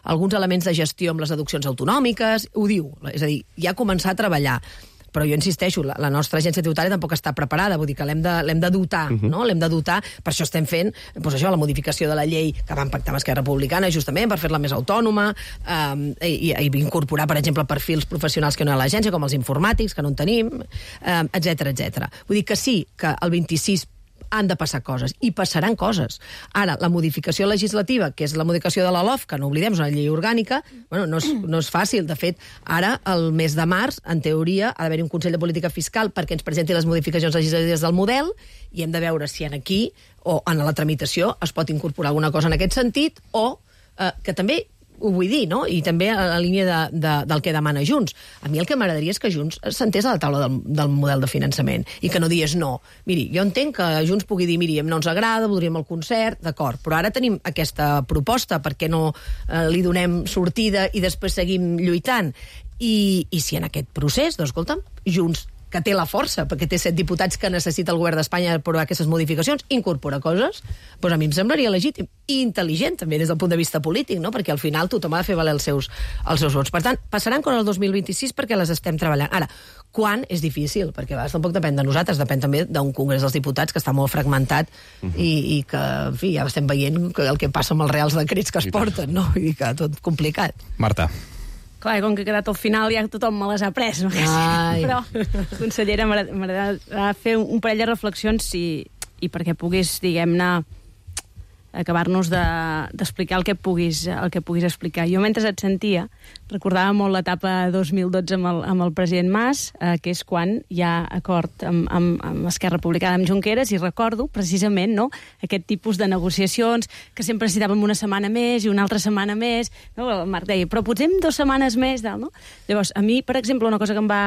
alguns elements de gestió amb les deduccions autonòmiques, ho diu. És a dir, ja començar a treballar. Però jo insisteixo, la, la nostra agència tributària tampoc està preparada, vull dir que l'hem de, l'hem de dotar, uh-huh. no? L'hem de dotar, per això estem fent doncs això, la modificació de la llei que vam pactar amb Esquerra Republicana, justament per fer-la més autònoma, um, i, i incorporar, per exemple, perfils professionals que no hi ha a l'agència, com els informàtics, que no en tenim, um, etcètera, etcètera. Vull dir que sí, que el vint-i-sis han de passar coses, i passaran coses. Ara, la modificació legislativa, que és la modificació de la L O F, que no oblidem, és una llei orgànica, bueno, no és, no és fàcil. De fet, ara, el mes de març, en teoria, ha d'haver-hi un Consell de Política Fiscal perquè ens presenti les modificacions legislatives del model, i hem de veure si en aquí, o en la tramitació, es pot incorporar alguna cosa en aquest sentit, o eh, que també ho vull dir, no? I també a la línia de, de, del que demana Junts. A mi el que m'agradaria és que Junts sentés a la taula del, del model de finançament i que no digués no. Miri, jo entenc que Junts pugui dir, miri, no ens agrada, voldríem el concert, d'acord, però ara tenim aquesta proposta, per què no eh, li donem sortida i després seguim lluitant? I, i si en aquest procés, doncs, escolta'm, Junts, que té la força, perquè té set diputats que necessita el govern d'Espanya per aprovar aquestes modificacions, incorpora coses, doncs a mi em semblaria legítim i intel·ligent, també, des del punt de vista polític, no? Perquè al final tothom ha de fer valer els seus, els seus vots. Per tant, passaran coses el dos mil vint-i-sis perquè les estem treballant. Ara, quan és difícil? Perquè a vegades tampoc depèn de nosaltres, depèn també d'un Congrés dels Diputats que està molt fragmentat uh-huh. i, i que, en fi, ja estem veient el que passa amb els reals decrets que es porten, no? Vull dir que tot complicat. Marta. Clar, com que ha quedat al final ja tothom me les ha pres, no? Però, consellera, m'agradarà fer un parell de reflexions i, i perquè puguis, diguem-ne, acabar-nos d'explicar de, el que puguis el que puguis explicar. Jo, mentre et sentia, recordava molt l'etapa dos mil dotze amb el, amb el president Mas, eh, que és quan hi ha acord amb, amb, amb Esquerra Republicana, amb Junqueras, i recordo, precisament, no, aquest tipus de negociacions que sempre necessitàvem una setmana més i una altra setmana més. No? El Marc deia, però potser dues setmanes més, no? Llavors, a mi, per exemple, una cosa que em va...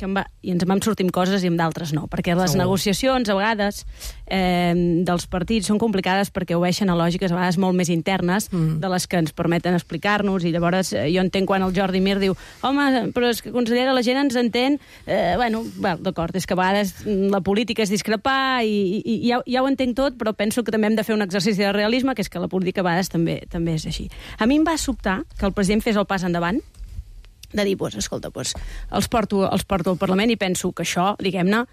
Que em va i ens en vam sortir amb coses i amb d'altres no, perquè les Segur. negociacions, a vegades, eh, dels partits són complicades perquè obeeixen a lògiques a vegades molt més internes mm. de les que ens permeten explicar-nos, i llavors eh, jo entenc quan el Jordi Mir diu, home, però és que, consellera, la gent ens entén, eh, bueno, well, d'acord, és que a vegades la política és discrepar i, i, i ja, ja ho entenc tot, però penso que també hem de fer un exercici de realisme, que és que la política a vegades també, també és així. A mi em va sobtar que el president fes el pas endavant, de dir, pues, escolta, pues, els, porto, els porto al Parlament, i penso que això, diguem-ne,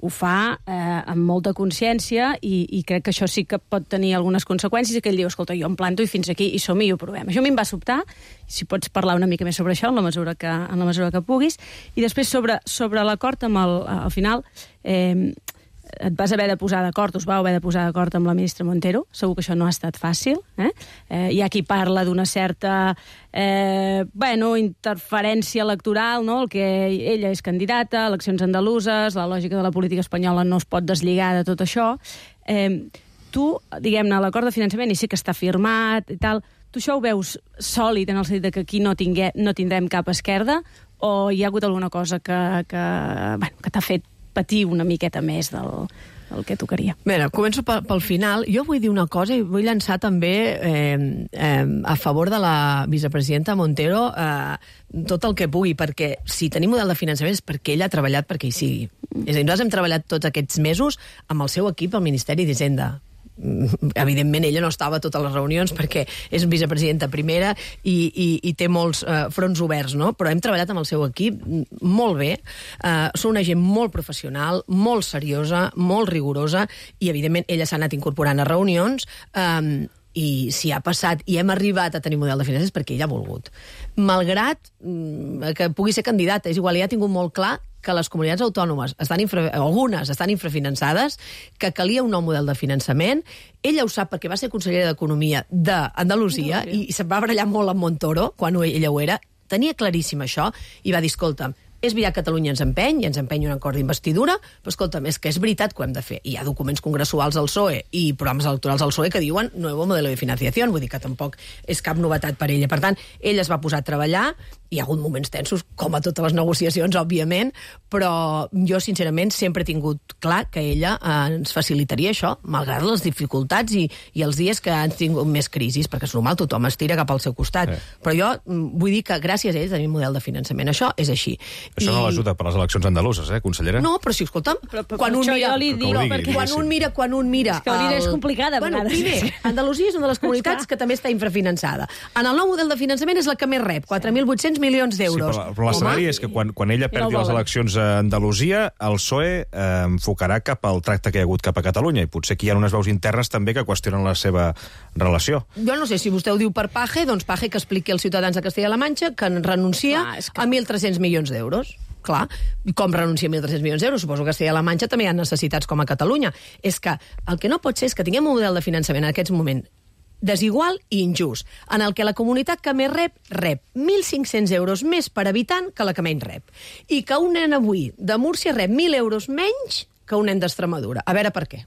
ho fa eh, amb molta consciència, i, i crec que això sí que pot tenir algunes conseqüències, i que ell diu, escolta, jo em planto i fins aquí, i som i ho provem. Això a mi em va sobtar, si pots parlar una mica més sobre això en la mesura que, en la mesura que puguis. I després sobre, sobre l'acord amb el, al final, eh, et vas haver de posar d'acord, us vau haver de posar d'acord amb la ministra Montero, segur que això no ha estat fàcil, eh? Eh, hi ha qui parla d'una certa eh, bueno, interferència electoral, no? El que ella és candidata, eleccions andaluses, la lògica de la política espanyola no es pot deslligar de tot això. Eh, tu, diguem-ne, l'acord de finançament, i sí que està firmat i tal, tu això ho veus sòlid en el sentit que aquí no, tingué, no tindrem cap esquerda, o hi ha hagut alguna cosa que, que, bueno, que t'ha fet patir una miqueta més del, del que tocaria? Bé, començo pel, pel final. Jo vull dir una cosa i vull llançar també eh, eh, a favor de la vicepresidenta Montero eh, tot el que pugui, perquè si tenim model de finançament és perquè ella ha treballat perquè hi sigui. És a dir, nosaltres hem treballat tots aquests mesos amb el seu equip al Ministeri d'Hisenda. Evidentment ella no estava a totes les reunions perquè és vicepresidenta primera i, i, i té molts uh, fronts oberts, no? Però hem treballat amb el seu equip molt bé, uh, són una gent molt professional, molt seriosa, molt rigorosa, i evidentment ella s'ha anat incorporant a reunions, um, i si ha passat i hem arribat a tenir model de finances perquè ella ha volgut. Malgrat mm, que pugui ser candidata, és igual, ella ha tingut molt clar que les comunitats autònomes, estan infra, algunes estan infrafinançades, que calia un nou model de finançament. Ella ho sap perquè va ser consellera d'Economia d'Andalusia i se'n va barallar molt amb Montoro, quan ella ho era, tenia claríssim això i va dir, escolta, és veritat que Catalunya ens empeny, i ens empeny un acord d'investidura, però escolta'm, és que és veritat que ho hem de fer. Hi ha documents congressuals al P S O E i programes electorals al P S O E que diuen nuevo modelo de financiació, vull dir que tampoc és cap novetat per ella. Per tant, ell es va posar a treballar, hi ha hagut moments tensos, com a totes les negociacions, òbviament, però jo, sincerament, sempre he tingut clar que ella eh, ens facilitaria això, malgrat les dificultats i, i els dies que han tingut més crisis, perquè és normal, tothom es tira cap al seu costat. Sí. Però jo vull dir que gràcies a ell tenim un model de finançament. Això és així. Això I... no l'ajuda per les eleccions andaluses, eh, consellera? No, però si, escolta'm, però, però, quan, un mira, dic, no, perquè... quan un mira... Quan un mira... És que el... és complicada, a bueno, vegades. Primer, Andalusia és una de les comunitats que també està infrafinançada. En el nou model de finançament és la que més rep, quatre mil vuit-cents milions d'euros. Sí, però, però l'escenari és que quan, quan ella perdi no les eleccions a Andalusia, el P S O E eh, enfocarà cap al tracte que hi ha hagut cap a Catalunya, i potser aquí hi ha unes veus internes també que qüestionen la seva relació. Jo no sé, si vostè ho diu per Paje, doncs Paje que expliqui als ciutadans de Castella-La Manxa que renuncia ah, que... a mil tres-cents milions d'euros. Clar, com renuncia a mil tres-cents milions d'euros? Suposo que a Castella-La Manxa també hi ha necessitats com a Catalunya. És que el que no pot ser és que tinguem un model de finançament en aquests moments desigual i injust, en el que la comunitat que més rep, rep mil cinc-cents euros més per habitant que la que menys rep. I que un nen avui de Múrcia rep mil euros menys que un nen d'Extremadura. A veure per què.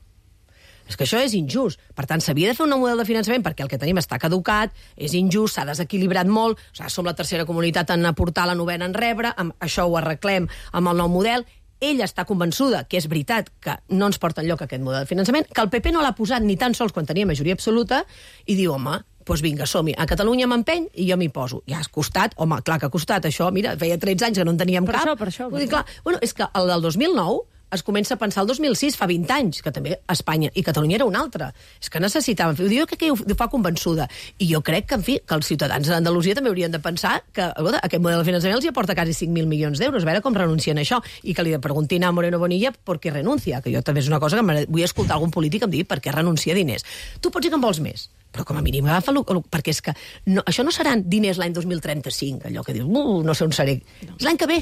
És que això és injust. Per tant, s'havia de fer un nou model de finançament perquè el que tenim està caducat, és injust, s'ha desequilibrat molt, o sigui, som la tercera comunitat en aportar, la novena en rebre, amb això ho arreglem amb el nou model. Ella està convençuda que és veritat que no ens porta enlloc aquest model de finançament, que el P P no l'ha posat ni tan sols quan tenia majoria absoluta, i diu, home, doncs vinga, som-hi. A Catalunya m'empeny i jo m'hi poso. Ja has costat, home, clar que ha costat això, mira, feia tretze anys que no en teníem per cap. Això, per això, per Vull dir, clar, bueno, és que el del dos mil nou es comença a pensar el dos mil sis, fa vint anys, que també Espanya i Catalunya era una altra. És que necessitaven fer. Jo crec que ho fa convençuda. I jo crec que, en fi, que els ciutadans d'Andalusia també haurien de pensar que escolta, aquest model de finançament els hi aporta quasi cinc mil milions d'euros. A veure com renuncien a això. I que li preguntin a Moreno Bonilla per què renuncia. Que jo també és una cosa que vull escoltar algun polític em dir per què renuncia a diners. Tu pots dir que en vols més, però com a mínim agafa-lo, perquè és que no, això no seran diners l'any dos mil trenta-cinc, allò que dius, uh, no sé on seré. És l'any que ve.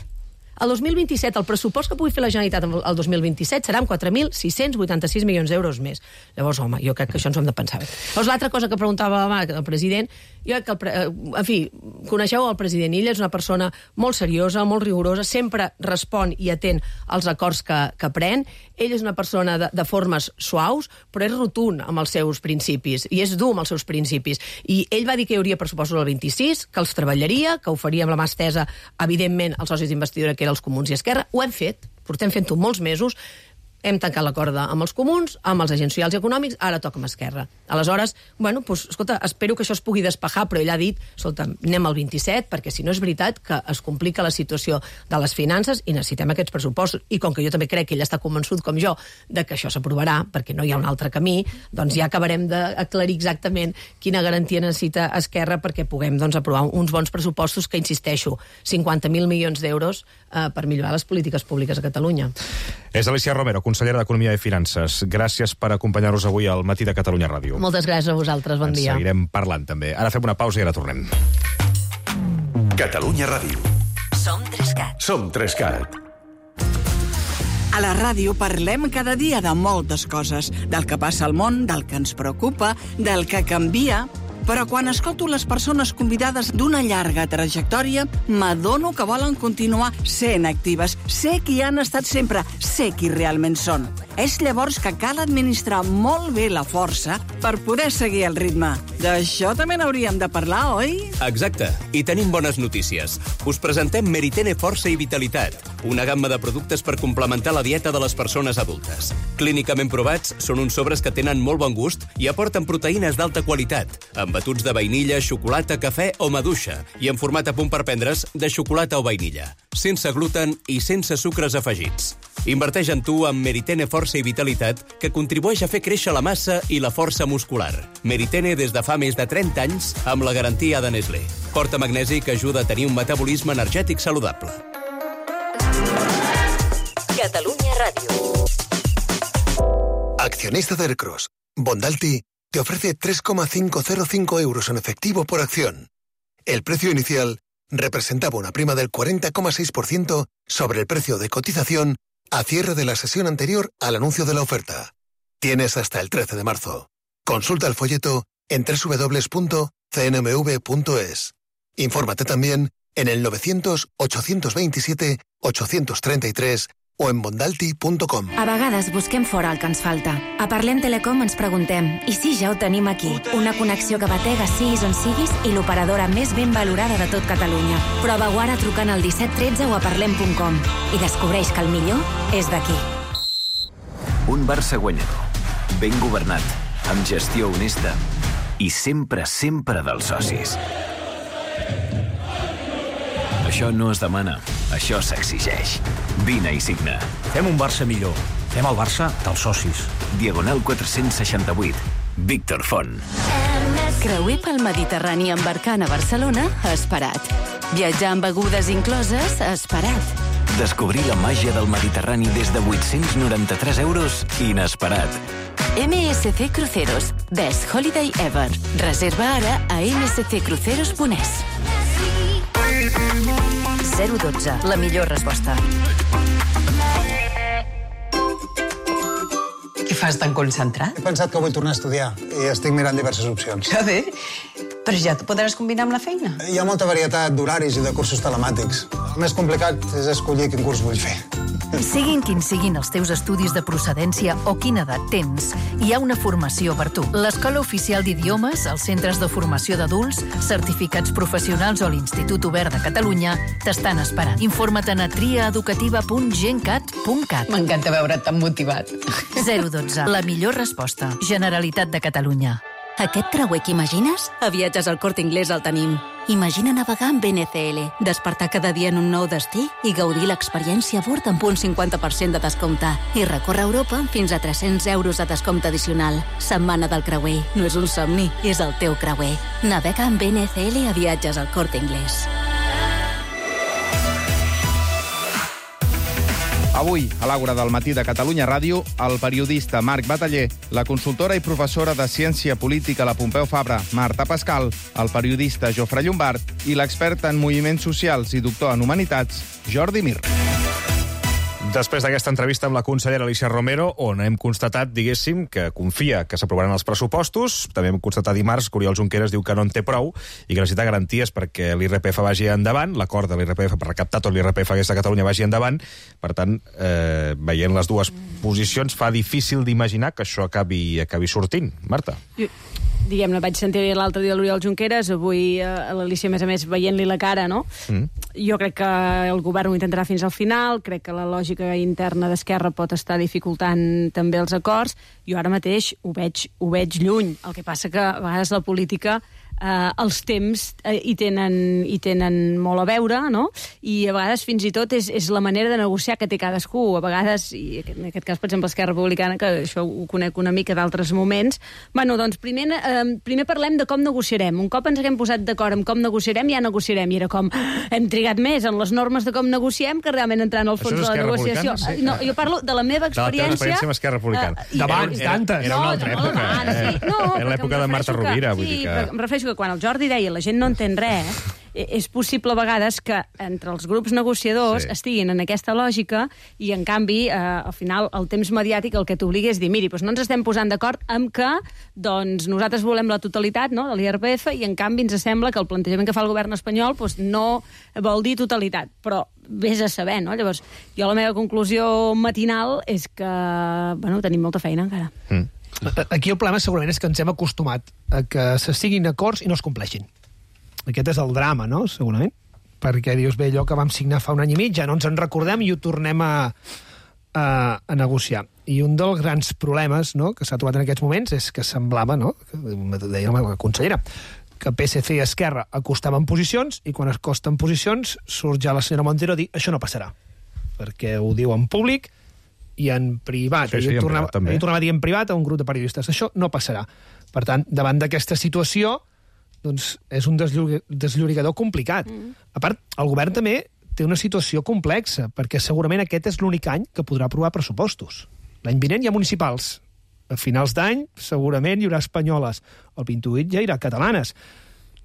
El dos mil vint-i-set, el pressupost que pugui fer la Generalitat el dos mil vint-i-set serà amb quatre mil sis-cents vuitanta-sis milions d'euros més. Llavors, home, jo crec que això ens ho hem de pensar bé. Llavors, l'altra cosa que preguntava el president, jo crec que, el pre... en fi, coneixeu el president, ell és una persona molt seriosa, molt rigorosa, sempre respon i atén als acords que, que pren. Ell és una persona de, de formes suaus, però és rotund amb els seus principis, i és dur amb els seus principis. I ell va dir que hi hauria pressupostos el vint-i-sis, que els treballaria, que ho faria amb la mà estesa, evidentment, als socis d'investidura, que els Comuns i Esquerra. Ho hem fet, portem fent-ho molts mesos, hem tancat l'acord amb els comuns, amb els agents socials i econòmics, ara toca amb Esquerra. Aleshores, bueno, doncs, escolta, espero que això es pugui despejar, però ell ha dit, escolta, anem al vint-i-set, perquè si no és veritat que es complica la situació de les finances i necessitem aquests pressupostos. I com que jo també crec que ell està convençut, com jo, de que això s'aprovarà, perquè no hi ha un altre camí, doncs ja acabarem d'aclarir exactament quina garantia necessita Esquerra perquè puguem doncs, aprovar uns bons pressupostos que, insisteixo, cinquanta mil milions d'euros eh, per millorar les polítiques públiques a Catalunya. És Alicia Romero, consellera d'Economia i Finances. Gràcies per acompanyar-nos avui al Matí de Catalunya Ràdio. Moltes gràcies a vosaltres, bon Ens dia. Ens seguirem parlant també. Ara fem una pausa i ara tornem. Catalunya Ràdio. Som Trescat. Som Trescat. A la ràdio parlem cada dia de moltes coses, del que passa al món, del que ens preocupa, del que canvia. Però quan escolto les persones convidades d'una llarga trajectòria, m'adono que volen continuar sent actives. Sé qui han estat sempre, sé qui realment són. És llavors que cal administrar molt bé la força per poder seguir el ritme. D'això també n'hauríem de parlar, oi? Exacte. I tenim bones notícies. Us presentem Meritene Força i Vitalitat, una gamma de productes per complementar la dieta de les persones adultes. Clínicament provats, són uns sobres que tenen molt bon gust i aporten proteïnes d'alta qualitat, amb batuts de vainilla, xocolata, cafè o maduixa, i en format a punt per prendre's de xocolata o vainilla, sense gluten i sense sucres afegits. Inverteix en tu amb Meritene Força i Vitalitat, que contribueix a fer créixer la massa i la força muscular. Meritene des de fa més de trenta anys, amb la garantia de Nestlé. Porta magnesi que ajuda a tenir un metabolisme energètic saludable. Catalunya Ràdio. Accionista de Aircross, Bondalti te ofrece tres coma quinientos cinco euros en efectivo por acción. El precio inicial representaba una prima del cuarenta coma seis por ciento sobre el precio de cotización a cierre de la sesión anterior al anuncio de la oferta. Tienes hasta el trece de marzo. Consulta el folleto en doble u doble u doble u punto c n m v punto es. Infórmate también en el novecientos, ochocientos veintisiete, ochocientos treinta y tres o en bondalti punto com. A vegades busquem fora el que ens falta. A Parlem Telecom ens preguntem, i si ja ho tenim aquí? Una connexió que batega siguis on siguis i l'operadora més ben valorada de tot Catalunya. Prova-ho ara trucant al disset tretze o a parlem punt com i descobreix que el millor és d'aquí. Un Barça guanyador, ben governat, amb gestió honesta i sempre, sempre dels socis. Això no es demana, això s'exigeix. Vine i signa. Fem un Barça millor. Fem el Barça dels socis. Diagonal quatre-cents seixanta-vuit. Víctor Font. Creuer pel Mediterrani embarcant a Barcelona, esperat. Viatjar amb begudes incloses, esperat. Descobrir la màgia del Mediterrani des de vuit-cents noranta-tres euros, inesperat. M S C Cruceros. Best Holiday Ever. Reserva ara a m s c cruceros punt e s. zero dotze, la millor resposta. Què fas tan concentrat? He pensat que vull tornar a estudiar i estic mirant diverses opcions. Que bé, però ja t'ho podràs combinar amb la feina. Hi ha molta varietat d'horaris i de cursos telemàtics. El més complicat és escollir quin curs vull fer. Siguin quins siguin els teus estudis de procedència o quina edat tens, hi ha una formació per tu. L'Escola Oficial d'Idiomes, els centres de formació d'adults, certificats professionals o l'Institut Obert de Catalunya t'estan esperant. Informa't a triaeducativa punt gencat punt cat. M'encanta veure't tan motivat. zero dotze, la millor resposta. Generalitat de Catalunya. Aquest creuer que imagines? A Viatges al Corte Inglés el tenim. Imagina navegar amb N C L, despertar cada dia en un nou destí i gaudir l'experiència a bord amb un cinquanta per cent de descompte. I recórrer Europa amb fins a tres-cents euros de descompte addicional. Setmana del creuer. No és un somni, és el teu creuer. Navega amb N C L a Viatges al Corte Inglés. Avui, a l'Àgora del matí de Catalunya Ràdio, el periodista Marc Bataller, la consultora i professora de Ciència Política a la Pompeu Fabra, Marta Pascal, el periodista Jofre Llombard i l'expert en moviments socials i doctor en humanitats, Jordi Mir. Després d'aquesta entrevista amb la consellera Alícia Romero, on hem constatat, diguéssim, que confia que s'aprovaran els pressupostos, també hem constatat dimarts que Oriol Junqueras diu que no en té prou i que necessita garanties perquè l'I R P F vagi endavant, l'acord de l'I R P F per recaptar tot l'I R P F aquesta Catalunya vagi endavant. Per tant, eh, veient les dues posicions, fa difícil d'imaginar que això acabi, acabi sortint. Marta? Jo, diguem-ne, vaig sentir l'altre dia l'Oriol Junqueras, avui a l'Alícia, a més a més, veient-li la cara, no? Mm. Jo crec que el govern ho intentarà fins al final, crec que la lògica interna d'Esquerra pot estar dificultant també els acords. Jo ara mateix ho veig, ho veig lluny. El que passa que a vegades la política eh, els temps eh, hi, tenen, hi tenen molt a veure, no? I a vegades fins i tot és, és la manera de negociar que té cadascú. A vegades, i en aquest cas, per exemple, Esquerra Republicana, que això ho conec una mica d'altres moments, bueno, doncs primer, eh, primer parlem de com negociarem. Un cop ens haguem posat d'acord amb com negociarem, ja negociarem. I era com, hem trigat més en les normes de com negociem que realment entrar en el fons de la negociació. Sí. No, jo parlo de la meva experiència... De la teva experiència amb Esquerra Republicana. Uh, d'abans, d'antes. Era una altra època. No, sí. no, era l'època de Marta Rovira. Que, vull sí, dir que... em refereixo que quan el Jordi deia la gent no entén res, és possible a vegades que entre els grups negociadors sí. estiguin en aquesta lògica i, en canvi, eh, al final, el temps mediàtic el que t'obliga és dir, miri, doncs no ens estem posant d'acord amb que doncs, nosaltres volem la totalitat, no?, de l'I R P F i, en canvi, ens sembla que el plantejament que fa el govern espanyol doncs, no vol dir totalitat. Però vés a saber, no? Llavors, jo la meva conclusió matinal és que, bueno, tenim molta feina encara. Mm. Aquí el problema segurament és que ens hem acostumat a que se siguin acords i no es compleixin. Aquest és el drama, no?, segurament. Perquè dius, bé, allò que vam signar fa un any i mig, ja no ens en recordem i ho tornem a, a, a negociar. I un dels grans problemes, no?, que s'ha trobat en aquests moments és que semblava, no?, deia la consellera, que P S C i Esquerra acostaven posicions i quan acosten posicions surt ja la senyora Montero a dir això no passarà. Perquè ho diu en públic i en privat. Sí, sí, ell, en tornava, privat, també. ell tornava a dir en privat a un grup de periodistes. Això no passarà. Per tant, davant d'aquesta situació, doncs és un desllorigador complicat. Mm. A part, el govern també té una situació complexa, perquè segurament aquest és l'únic any que podrà aprovar pressupostos. L'any vinent hi ha municipals. A finals d'any, segurament hi haurà espanyoles. El vint-i-vuit ja hi haurà catalanes.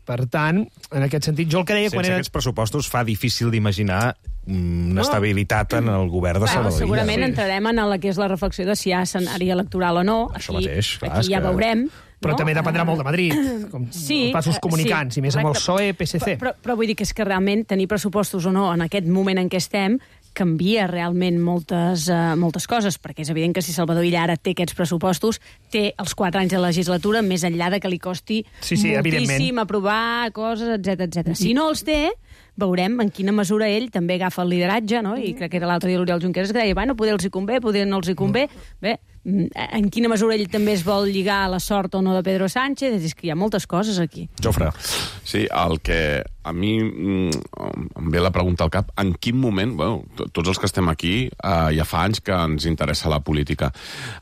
Per tant, en aquest sentit, jo el que deia... Sense quan era... aquests pressupostos fa difícil d'imaginar una no. estabilitat en el govern de bueno, Salvador. Segurament sí. entrarem en la que és la reflexió de si hi ha escenari electoral o no. Això aquí, mateix, clar, aquí ja que... veurem. Però no? també dependrà molt de Madrid, com sí, els passos comunicants, sí, i més amb el correcte. P S O E, P S C. Però, però, però vull dir que és que realment tenir pressupostos o no en aquest moment en què estem canvia realment moltes, uh, moltes coses, perquè és evident que si Salvador Illa ara té aquests pressupostos, té els quatre anys de legislatura, més enllà de que li costi sí, sí, moltíssim aprovar coses, etcètera, etcètera. Si no els té, veurem en quina mesura ell també agafa el lideratge, no? I crec que era l'altre dia l'Oriol Junqueras que deia, bueno, poder els hi convé, poder no els hi convé. Bé, en quina mesura ell també es vol lligar a la sort o no de Pedro Sánchez? És que hi ha moltes coses aquí. Jofre. Sí, el que a mi em ve la pregunta al cap, en quin moment, bueno, tots els que estem aquí, eh, ja fa anys que ens interessa la política,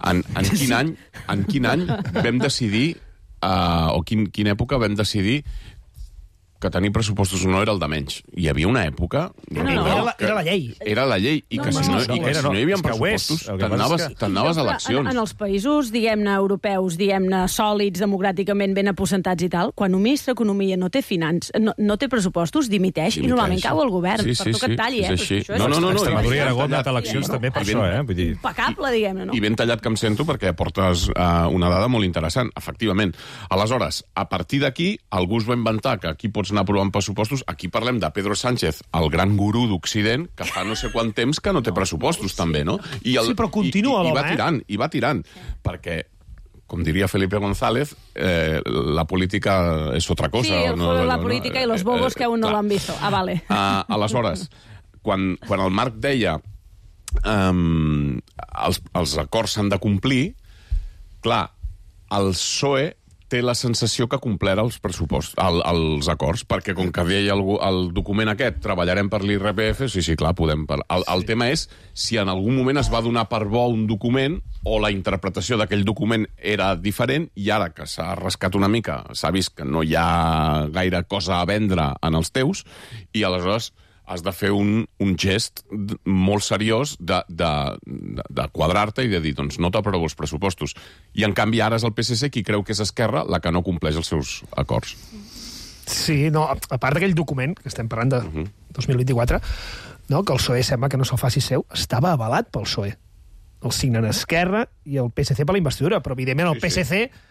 en, en quin any en quin any vam decidir, eh, o quin, quina època vam decidir que tenir pressupostos no era el de menys. Hi havia una època... No, no, no, era, la, era la llei. Era la llei, i No, que, no, si, no, no, i que no, si no hi havia pressupostos, t'anaves que... a eleccions. En, en els països, diguem-ne, europeus, diguem-ne, sòlids, democràticament ben aposentats i tal, quan un ministre d'Economia no té finanç, no, no té pressupostos, dimiteix, dimiteix, i normalment cau el govern. Sí, per sí, tu que et talli, sí, eh? és així. Això és No, no, no, no, Extremadura i Aragó han anat a eleccions també per això, eh? Vull dir... impecable, diguem-ne, no? I ben tallat que em sento perquè aportes uh, una dada molt interessant, efectivament. Aleshores, a partir d'aquí, algú es va inventar que aquí pots anar aprovant pressupostos. Aquí parlem de Pedro Sánchez, el gran gurú d'Occident, que fa no sé quant temps que no té pressupostos, també, no? I el, sí, però continua i, i, i l'home, va tirant, i va tirant, perquè com diria Felipe González, eh, la política és otra cosa. Sí, el, no, la no, política no, i los bobos eh, que aún no clar. l'han visto. Ah, vale. Uh, aleshores, quan, quan el Marc deia um, els, els acords s'han de complir, clar, el P S O E té la sensació que complera els pressupostos, el, els acords, perquè com que deia el, el document aquest, treballarem per l'I R P F, sí, sí, clar, podem... Per... El, el tema és si en algun moment es va donar per bo un document o la interpretació d'aquell document era diferent i ara que s'ha rascat una mica, s'ha vist que no hi ha gaire cosa a vendre en els teus i aleshores has de fer un, un gest molt seriós de, de, de, de quadrar-te i de dir, doncs no t'aprovo els pressupostos. I en canvi ara és el P S C qui creu que és Esquerra la que no compleix els seus acords. Sí, no, a part d'aquell document, que estem parlant de uh -huh. dos mil vint-i-quatre, no, que el P S O E sembla que no se'l faci seu, estava avalat pel P S O E. El signen Esquerra i el P S C per la investidura, però evidentment el sí, P S C... Sí.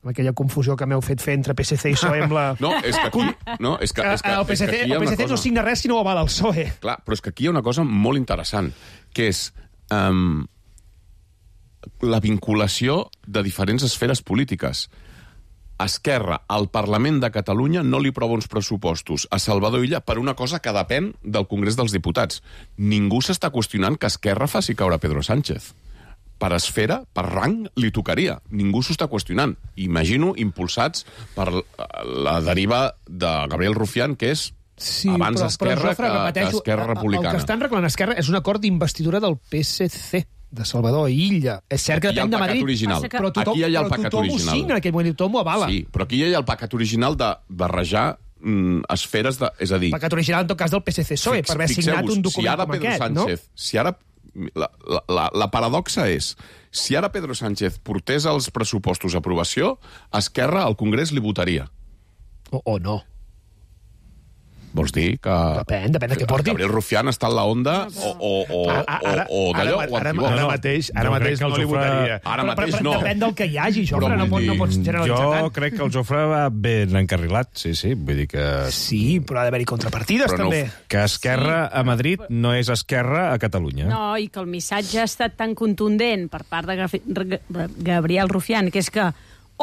Amb aquella confusió que m'heu fet fer entre P S C i P S O E amb la... No, és que aquí... No, és que, és que, el P S C, és que el P S C no signa res si no ho avala el P S O E. Clar, però és que aquí hi ha una cosa molt interessant, que és um, la vinculació de diferents esferes polítiques. Esquerra, al Parlament de Catalunya, no li aprova uns pressupostos a Salvador Illa per una cosa que depèn del Congrés dels Diputats. Ningú s'està qüestionant que Esquerra faci caure Pedro Sánchez. Per esfera, per rang, li tocaria. Ningú s'ho està qüestionant. Imagino impulsats per la deriva de Gabriel Rufián, que és sí, abans però, Esquerra però, Jofre, que, repeteixo, que Esquerra Republicana. El que estan reclamant Esquerra és un acord d'investidura del P S C, de Salvador Illa. És cert que depèn de Madrid, original. però tothom, aquí hi ha el però pecat tothom original. ho signa, en aquell moment, tothom ho avala. Sí, però aquí hi ha el pecat original de barrejar mm, esferes de... És a dir... Pecat original, en tot cas, del P S C P S O E, fix, per haver signat un document si ara com Pedro aquest, Sánchez, no? Si ara... La, la, la, la paradoxa és, si ara Pedro Sánchez portés els pressupostos a aprovació, Esquerra al Congrés li votaria. O, o no. Vols dir que... Depèn, depèn de què porti. Gabriel Rufián està en la onda o, o, o, ara, o, o d'allò ara, o ara, antiguo. ara mateix, ara no mateix no li Jofre... votaria. Ara però, mateix però, no. Depèn del que hi hagi, Jofre, Però no, pot, no pots generalitzar jo tant. Jo crec que el Jofre va ben encarrilat, sí, sí, vull dir que... Sí, però ha d'haver-hi contrapartides, però també. No, que Esquerra sí. a Madrid no és Esquerra a Catalunya. No, i que el missatge ha estat tan contundent per part de Gabriel Rufián, que és que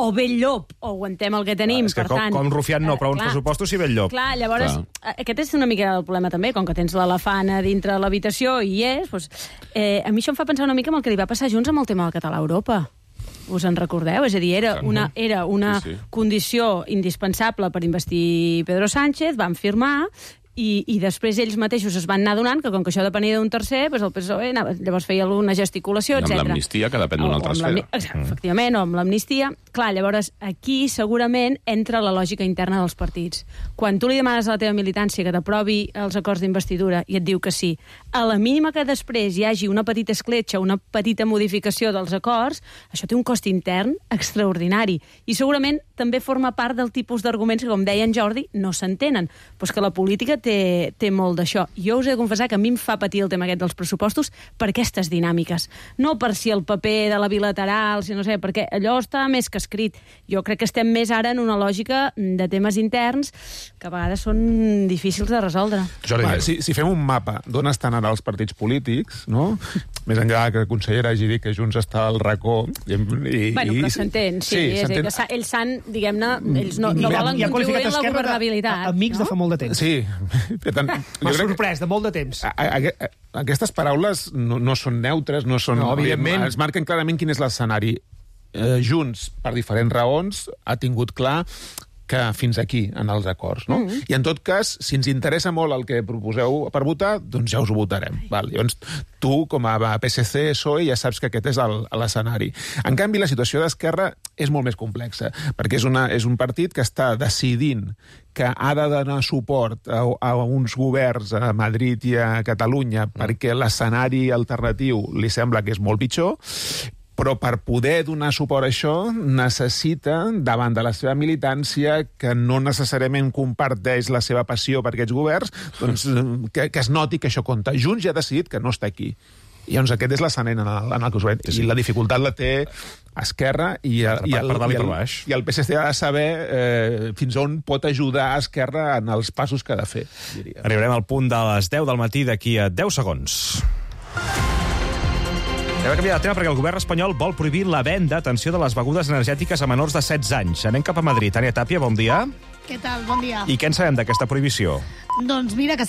o ve el llop, o aguantem el que tenim. Ah, és que per com, tant, com Rufián no, però uns clar, pressupostos si ve el llop. Clar, llavors, clar. Aquest és una mica el problema també, com que tens l'elefant a dintre de l'habitació i hi és, doncs, eh, a mi això em fa pensar una mica en el que li va passar a Junts amb el tema del català a Europa. Us en recordeu? És a dir, era una, era una sí, sí. condició indispensable per investir Pedro Sánchez, van firmar, i, i després ells mateixos es van anar donant que com que això depenia d'un tercer, doncs el P S O E anava, llavors feia alguna gesticulació, etcètera. Amb l'amnistia, que depèn d'una altra esfera. Mm. Efectivament, o amb l'amnistia. Clar, llavors aquí segurament entra la lògica interna dels partits. Quan tu li demanes a la teva militància que t'aprovi els acords d'investidura i et diu que sí, a la mínima que després hi hagi una petita escletxa, una petita modificació dels acords, això té un cost intern extraordinari. I segurament també forma part del tipus d'arguments que, com deia en Jordi, no s'entenen. Però és que la política té, té molt d'això. Jo us he de confessar que a mi em fa patir el tema aquest dels pressupostos per aquestes dinàmiques. No per si el paper de la bilateral, si no sé, perquè allò està més que escrit. Jo crec que estem més ara en una lògica de temes interns que a vegades són difícils de resoldre. Va, si, si fem un mapa d'on estan ara els partits polítics, no? Més enllà que la consellera hagi dit que Junts està al racó... I, i, bueno, però s'entén, sí. sí és dir, que ells s'han, diguem-ne, ells no, no volen contribuir en la governabilitat. Amics no? de fa molt de temps. Sí. Per tant, m'ha sorprès, de molt de temps. A, a, a, aquestes paraules no, no són neutres, no són... No, evidentment. Es marquen clarament quin és l'escenari. Eh, Junts, per diferents raons, ha tingut clar que fins aquí, en els acords, no? Mm. I en tot cas, si ens interessa molt el que proposeu per votar, doncs ja us ho votarem. Val? Llavors, tu, com a P S C, P S O E, ja saps que aquest és l'escenari. En canvi, la situació d'Esquerra és molt més complexa, perquè és, una, és un partit que està decidint que ha de donar suport a, a uns governs a Madrid i a Catalunya mm. perquè l'escenari alternatiu li sembla que és molt pitjor, però per poder donar suport a això necessita, davant de la seva militància, que no necessàriament comparteix la seva passió per aquests governs, doncs, que, que es noti que això compta. Junts ja ha decidit que no està aquí. I doncs aquest és l'escenari en, el, en el que us veig. I la dificultat la té Esquerra i, el, i, el, i, el, i el P S C ha de saber eh, fins on pot ajudar a Esquerra en els passos que ha de fer, diria. Arribarem al punt de les deu del matí d'aquí a deu segons. Hem de canviar de tema perquè el govern espanyol vol prohibir la venda, atenció, de les begudes energètiques a menors de setze anys. Anem cap a Madrid. Tània Tàpia, bon dia. Què tal? Bon dia. I què en sabem d'aquesta prohibició? Doncs mira que serà